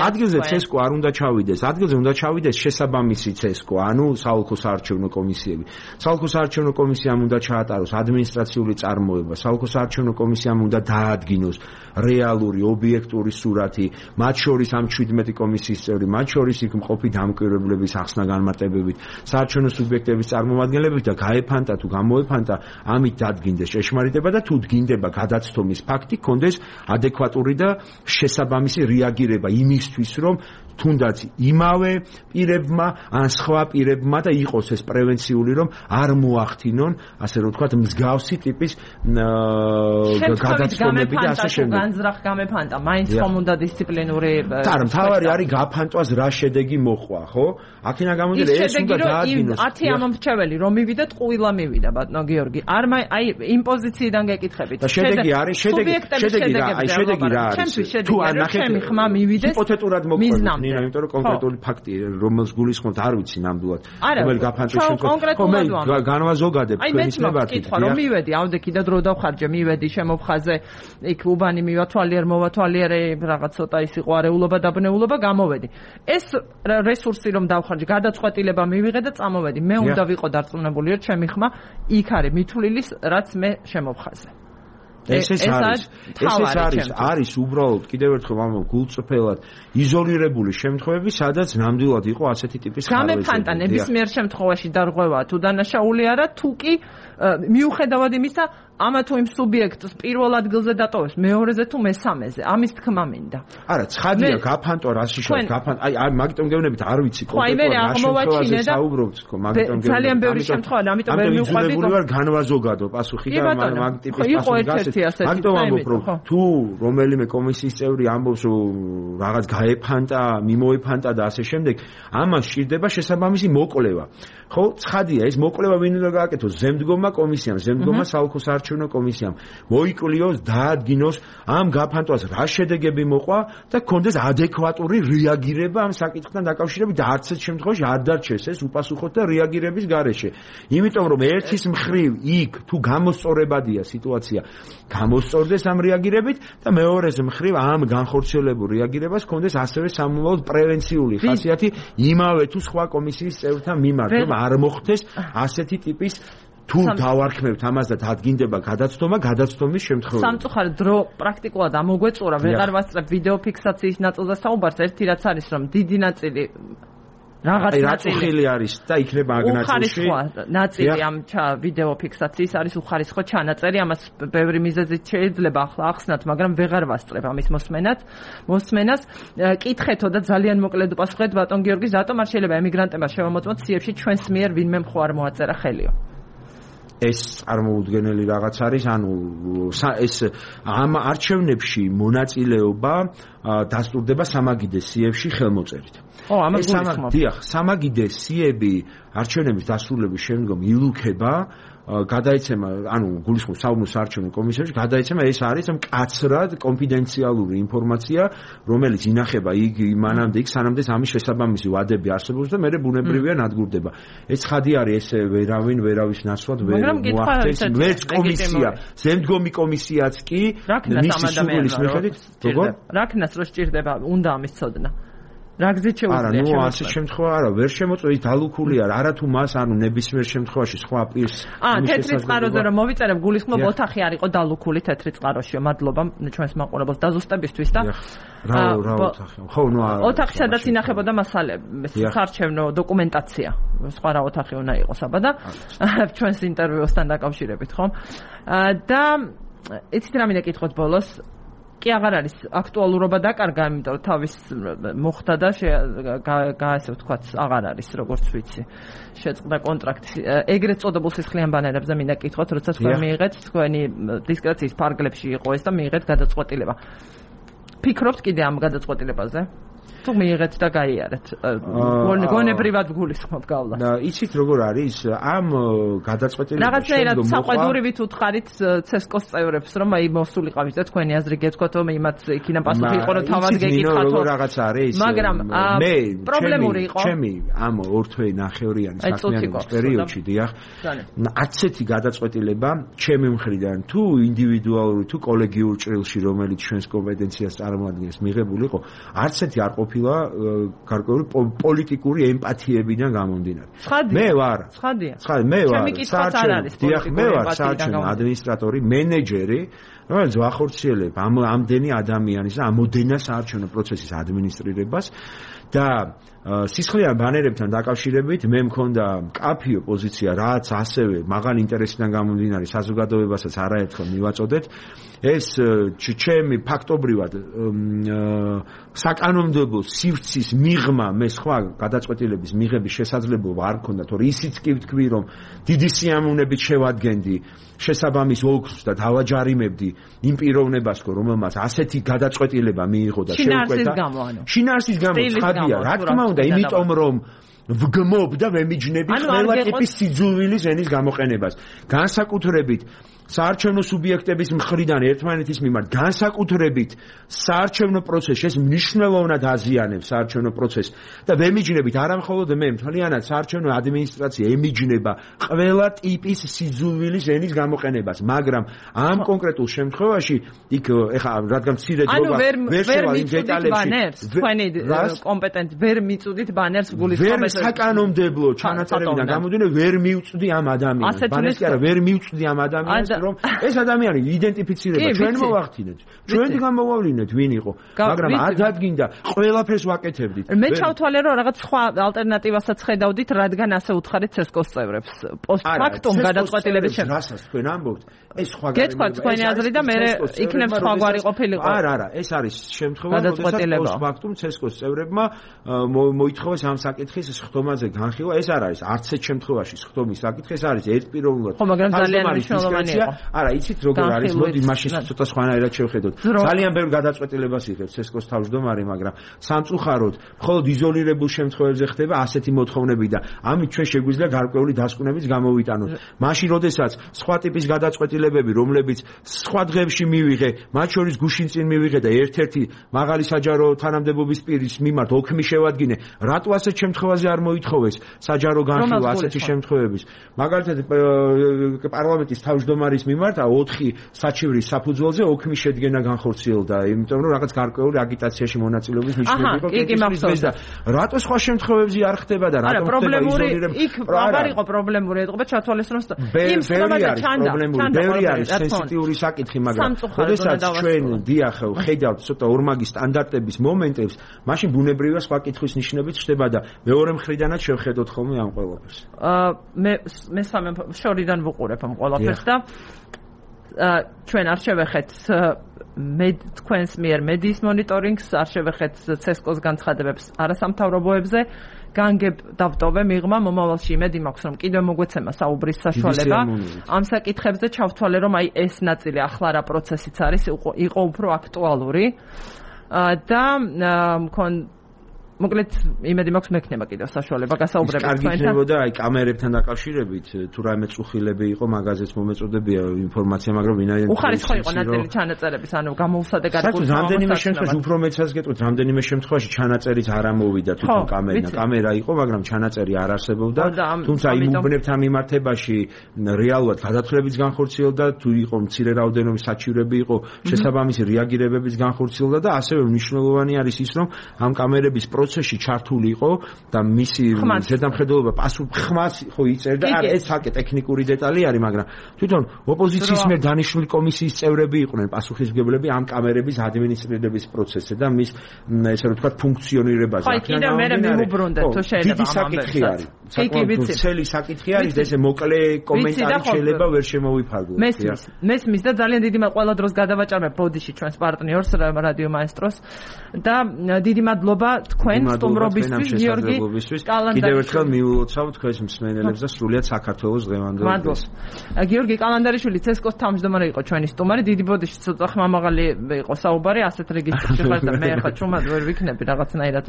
ადგილზე CESCO არ უნდა ჩავიდეს. ადგილზე უნდა ჩავიდეს შესაბამისი CESCO, ანუ საოლქო საარჩევნო კომისიები. საოლქო საარჩევნო კომისიამ უნდა ჩაატაროს ადმინისტრაციული წარმოება, საოლქო საარჩევნო კომისიამ უნდა დაადგინოს რეალური, ობიექტური სურათი, მათ შორის ამ 17 კომისიის წევრი, მათ შორის იქ მყოფი დამკვირვებლების ახსნა განმარტებებით, საარჩევნო სუბიექტების წარმომადგენლებით და გაეფანტა თუ გამოეფანტა, ამით დადგინდეს ჭეშმარიტება და თუ დგინდება გადაცდომის ფაქტი, კონდეს ადეკვატური და შესაბამისი რეაგირება იმისთვის, რომ თუნდაც იმავე პირებმა ან სხვა პირებმა და იყოს ეს პრევენციული, რომ არ მოახდინონ, ასე რომ ვთქვათ, მსგავსი ტიპის გადაცდომები და ასე შემდეგ. განზრახ გამეფანტა, მაინც ხომ უნდა დისციპლინური არა, მთავარი არის გაფანტვას რა შედეგი მოყვა, ხო? აქინა გამოდიოდა ეს უნდა დაადგინოს. 10 ამომრჩეველი რომ მივიდეთ, ყვილა მივიდა, ბატონო გიორგი. არ აი იმ პოზიციიდან გეკითხებით. შედეგი არის, შედეგი რა არის? თუ არ ნახეთ, ჩემი ხმა მივიდეს. ჰიპოთეტურად მოყვება. ნინა, იმიტომ რომ კონკრეტული ფაქტი, რომელს გულისხმობთ, არ ვიცი ნამდვილად. რომელი გაფანტვის შემთხვევაში. ხო, მე განვაზოგადებ თქვენის ნებართვით. კითხვა რომ მივედი, ავდექი და დრო დავხარჯე, მივედი შემოფხაზე, იქ უბანი მოვათვალიერე, რაღაც ცოტა ის იყო არეულობა, დაბნეულობა, გამოვედი. ეს რესურსი რომ დავხარჯე, გადაწყვეტილება მივიღე და წამოვედი. მე უნდა ვიყო დარწმუნებული, რომ ჩემი ხმა იქ არის მითვლილის, რაც მე შემოვხაზე. ეს არის უბრალოდ კიდევ ერთხელ ამ გულწრფელად იზოლირებული შემთხვევები, სადაც ნამდვილად იყო ასეთი ტიპის ხარვეზები. გამეფანტა ნებისმიერ შემთხვევაში დარღვევაა თუ დანაშაული არა, თუ კი მიუხედავად იმისა, ამა თუ იმ სუბიექტს პირველ ადგილზე დატოვებს, მეორეზე თუ მესამეზე, ამის თქმა მინდა. არა, ცხადია, გაფანტო რაში შეიძლება, გაფანტო, აი, მაგიტომ გეუბნებით, არ ვიცი კონკრეტულად რა შემთხვევაზე საუბრობთ, ხო, მაგიტომ გეუბნებით. ძალიან ბევრი შემთხვევა, ამიტომ ვერ მივყვები. ამიტომ ვარ განვაზოგადო პასუხი და მაგ ტიპის პასუხი გასცეთ. მაგიტომ ამბობ, რომ თუ რომელიმე კომისიის წევრი ამბობს, რომ რაღაც გაეფანტა, მიმოეფანტა და ასე შემდეგ, ამას სჭირდება შესაბამისი მოკვლევა. ხო, ცხადია, ეს მოკვლევა ვინ უნდა გააკეთოს? ზემდგომა კომისიამ, ზემდგომა საოლქო საარჩევნო კომისიამ მოიკლიოს, დაადგინოს ამ გაფანტვას რა შედეგები მოყვა და კონდეს ადეკვატური რეაგირება ამ საკითხთან დაკავშირებით და არც ერთ შემთხვევაში არ დარჩეს ეს უპასუხოთ და რეაგირების გარეშე. იმიტომ რომ ერთის მხრივ იქ თუ გამოსწორებადია სიტუაცია, გამოსწორდეს ამ რეაგირებით და მეორეს მხრივ ამ განხორციელებულ რეაგირებას კონდეს ასევე სამომავლოდ პრევენციული ხასიათი იმავე თუ სხვა კომისიის წევრთან მიმართ, რომ არ მოხდეს ასეთი ტიპის თუ დავარქმევთ ამას და დადგინდება გადაცდომის შემთხვევაში. სამწუხაროდ დრო პრაქტიკულად ამოგვეწურა, ვეღარ ვასწრებ ვიდეო ფიქსაციის ნაწილზე საუბარს, ერთი რაც არის, რომ დიდი ნაწილი რაღაც ნაწილი არის და იქნება აგ ნაწილში. ნაწილი ამ ვიდეო ფიქსაციის არის უხარისხო ჩანაწერი, ამას ბევრი მიზეზით შეიძლება ახლა ახსნათ, მაგრამ ვეღარ ვასწრებ ამის მოსმენას. კითხეთო და ძალიან მოკლედ პასუხეთ ბატონ გიორგი, რატომ არ შეიძლება ემიგრანტებმა შევამოწმოთ CEF-ში ჩვენს მიერ ვინმე მხო არ მოაწერა ხელიო? ეს წარმოუდგენელი რაღაც არის, ანუ ეს ამ არჩევნებში მონაწილეობა დასტურდება სამაგიდე CEF-ში ხელმოწერით. ამას გულისხმობ. დიახ, სამაგიდე CEF-ი არჩევნების დასრულების შემდგომ ილუქება, გადაეცემა, ანუ გულისხმობ საუბნო საარჩევნო კომისიაში, გადაეცემა ეს არის მკაცრად კონფიდენციალური ინფორმაცია, რომელიც ინახება მანამდე იქ, სანამდე ამის შესაბამისი ვადები არსებობს და მე ბუნებრივია ნადგურდება. ეს ხადი არის, ეს ვერავის ნაცვლად ვერ მოახდენს, მეც კომისია, ზემდგომი კომისიაც კი მისი სურვილის მიხედვით, როგორ? რაკნას რო სჭირდება, უნდა ამის ცოდნა. რა გზით შეუძლია შემოწმება? არა, ასე შემთხვევა არა, ვერ შემოწმება, ის დალუქული არა თუ მას, ანუ ნებისმიერ შემთხვევაში სხვა პირს. თეთრი წყაროზე რომ მოვიწერებ, გულისხმობ ოთახი არ იყო დალუქული თეთრი წყაროშიო. მადლობა ჩვენს მაყურებელს დაზუსტებისთვის და რა ოთახი? ხო, ნუ არა. ოთახი სადაც ინახებოდა მასალები, საარჩევნო დოკუმენტაცია. სხვა რა ოთახი უნდა იყოს აბა და ჩვენს ინტერვიუსთან დაკავშირებით, ხო? და იცით რა მინდა კითხოთ ბოლოს? კი აღარ არის აქტუალურობა დაკარგა, იმიტომ რომ თავის მოხდა და ასე ვთქვათ, აღარ არის, როგორც ვიცი. შეწყდა კონტრაქტი. ეგრეთ წოდებულ სისხლიან ბანერებზე მინდა კითხოთ, როცა თქვენ მიიღეთ თქვენი დისკრეციის ფარგლებში იყო ეს და მიიღეთ გადაწყვეტილება. ფიქრობთ კიდე ამ გადაწყვეტილებაზე? თუ მიიღეთ და გაიარეთ გონებრივად გულისხმობ გავლა და იცით როგორ არის ამ გადაწყვეტილებას რაღაცნაირად საყვედურივით უთხარით CESCO-ს წევრებს რომ აი მოსულიყავით და თქვენი აზრი გეთქვათ რომ იმათ იქიდან პასუხი იყო რომ თავად გეკითხათ როგორ რაღაც არის მაგრამ მე პრობლემური იყო ჩემი ამ ორ თვე ნახევრიანი საქმიანობის პერიოდში დიახ არც ერთი გადაწყვეტილება ჩემი მხრიდან თუ ინდივიდუალური თუ კოლეგიურ ჭრილში რომელიც ჩვენს კომპეტენციას წარმოადგენს მიღებული იყო არც ერთი არ ყოფილა გარკვეული პოლიტიკური ემპათიებიდან გამომდინარე მე ვარ მე ვარ საარჩევნო ადმინისტრატორი მენეჯერი რომელიც ვახორციელებ ამდენი ადამიანის და ამდენას საარჩევნო პროცესის ადმინისტრირებას და სისხლიან ბანერებთან დაკავშირებით მე მქონდა კაფიო პოზიცია რაც ასევე მაღალი ინტერესიდან გამომდინარე საზოგადოებასაც არაერთხელ მივაწოდეთ ეს ჩემი ფაქტობრივად საკანონმდებლო სივრცის მიღმა მე სხვა გადაწყვეტილების მიღების შესაძლებლობა არ მქონდა თორე ისიც კი ვთქვი რომ დიდი სიამოვნებით შევადგენდი შესაბამის ოლქს და დავაჯარიმებდი იმ პიროვნებას რომელმაც ასეთი გადაწყვეტილება მიიღო და შეუკვეთა შინაარსის გამო ცხადია რა თქმა უნდა იმიტომ რომ ვგმობ და ვემიჯნები ყველა ტიპის სიძულვილის ენის გამოყენებას განსაკუთრებით საარჩევნო სუბიექტების მხრიდან ერთმანეთის მიმართ განსაკუთრებით საარჩევნო პროცესს მნიშვნელოვნად აზიანებს საარჩევნო პროცესს და ვემიჯნებით არამხოლოდ მე მთლიანად საარჩევნო ადმინისტრაცია ემიჯნება ყველა ტიპის სიძულვილის ენის გამოყენებას მაგრამ ამ კონკრეტულ შემთხვევაში იქ ეხა რადგან მცირე დროა ვერ შევალ იმ დეტალებში თქვენი კომპეტენტ ვერ მიწუდით ბანერს გულისხმობთ ვერ საკანონმდებლო ჩანაწერებიდან გამომდინარე ვერ მივწვდი ამ ადამიანს ბანერს კი არა ვერ მივწვდი ამ ადამიანს რომ ეს ადამიანი იდენტიფიცირება ჩვენ მოვახდინეთ ჩვენ გამოვავლინეთ ვინ იყო მაგრამ არ დადგინდა ყველაფერს ვაკეთებდით მე ჩავთვალე რომ რაღაც სხვა ალტერნატივასაც ხედავდით რადგან ასე უთხარით CESCO-ს წევრებს პოსტფაქტუმ გადაწყვეტილების შემდეგ რასაც თქვენ ამბობთ ეს სხვა გეთქვათ თქვენი აზრი და მე იქნებ სხვაგვარი ყოფილიყო არა ეს არის შემთხვევა როდესაც პოსტფაქტუმ CESCO-ს წევრებმა მოითხოვეს ამ საკითხის სხდომაზე განხილვა ეს არ არის არც ერთ შემთხვევაში სხდომის საკითხი ეს არის ერთპიროვნულად ხო მაგრამ ძალიან მნიშვნელოვანი იყო არა იცით როგორ არის მოდი მაშინ ცოტა სხვანაირად შევხედოთ ძალიან ბევრ გადაწყვეტილებას იღებს CESCO-ს თავმჯდომარე მაგრამ სამწუხაროდ მხოლოდ იზოლირებულ შემთხვევებში ხდება ასეთი მოთხოვნები და ამით ჩვენ შეგვიძლია გარკვეული დასკვნებიც გამოვიტანოთ მაშინ როდესაც სხვა ტიპის გადაწყვეტილებები რომლებიც სხვა დღეებში მივიღე მათ შორის გუშინ წინ მივიღე და ერთ-ერთი მაღალი საჯარო თანამდებობის პირის მიმართ ოქმი შევადგინე რატო ასეთ შემთხვევაზე არ მოითხოვეს საჯარო განხილვა ასეთი შემთხვევების მაგალითად პარლამენტის თავმჯდომარის მიმართ 4 საჩივრის საფუძველზე ოქმის შედგენა განხორციელდა, იმიტომ რომ რაღაც გარკვეული აგიტაციაში მონაწილეობის ნიშნები იყო კენჭისყრის და რატო სხვა შემთხვევებში არ ხდება და რატო ხდება იზოლირება? იქ აღარ იყო პრობლემური ეთყობა ჩათვალისწინოს იმ სიტყვაზე ჩანდა. ბევრი არის სენსიტიური საკითხი, მაგრამ როდესაც ჩვენ დიახ ხედავთ ცოტა ორმაგი სტანდარტების მომენტებს, მაშინ ბუნებრივია სხვა კითხვის ნიშნებიც ხდება და მეორე მხრიდანაც შევხედოთ ხოლმე ამ ყველაფერს. მე სამი შორიდან ვუყურებ ამ ყველაფერს და ჩვენ არ შევეხეთ მე თქვენს მიერ მედიის მონიტორინგს არ შევეხეთ CESCO-ს განცხადებებს არასამთავრობოებზე განგებ დავტოვე მიღმა მომავალში იმედი მაქვს რომ კიდევ მოგვეცემა საუბრის საშუალება ამ საკითხებზე ჩავთვალე რომ აი ეს ნაწილი ახლა რა პროცესიც არის იყო უფრო აქტუალური და მოკლედ იმედი მაქვს მექნება კიდევ საშუალება გასაუბრებით თქვენთან. კარგი იქნებოდა აი კამერებთან დაკავშირებით თუ რაიმე წუხილები იყო მაგაზეც მომეწოდებია ინფორმაცია მაგრამ ვინაიდან უხარისხო იყო ნაწილი ჩანაწერების ანუ გამოუსადეგ ადგილს რამდენიმე შემთხვევაში უფრო მეცაც გეტყვით რამდენიმე შემთხვევაში ჩანაწერიც არ ამოვიდა თვითონ კამერა იყო მაგრამ ჩანაწერი არ არსებობდა თუმცა იმ უბნებთან მიმართებაში რეალურად გადათვლებიც განხორციელდა თუ იყო მცირე რაოდენობის საჩივრები იყო შესაბამისი რეაგირებებიც განხორციელდა და ასევე მნიშვნელოვანი არის ის რომ ამ კამერების პროცესში ჩართული იყო და მისი ზედამხედველობა ხმას ხო იწერდა არა ეს საკე ტექნიკური დეტალი არის მაგრამ თვითონ ოპოზიციის მიერ დანიშნული კომისიის წევრები იყვნენ პასუხისმგებლები ამ კამერების ადმინისტრირების პროცესზე და მის ესე რომ ვთქვათ ფუნქციონირებაზე ხო კიდევ მე მივუბრუნდეთ თუ შეიძლება ამ ამბებს საკმაოდ ცელი საკითხი არის და ესე მოკლე კომენტარი შეიძლება ვერ შემოვიფარგლოთ. მესმის და ძალიან დიდი ყველა დროს გადავაჭარბებ ბოდიში ჩვენს პარტნიორს რადიო მაესტროს და დიდი მადლობა თქვენ სტუმრობისთვის გიორგი კალანდარიშვილი. კიდევ ერთხელ მიულოცავ თქვენს მსმენელებს და სრულიად საქართველოს დღევანდელ დღეს. გიორგი კალანდარიშვილი CSKA-ს თავმჯდომარე იყო ჩვენი სტუმარი. დიდი ბოდიში ცოტა ხმამაღალი იყო საუბარი, ასეთ რეგისტრში ხარ და მე ხა ჩუმად ვერ ვიქნები რაღაცნაირად.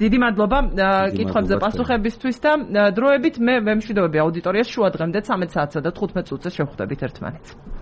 დიდი მადლობა კითხვებზე პასუხებისთვის და დროებით მე ვემშვიდობები აუდიტორიას შუა დღემდე 13 საათსა და 15 წუთზე შევხვდებით ერთმანეთს.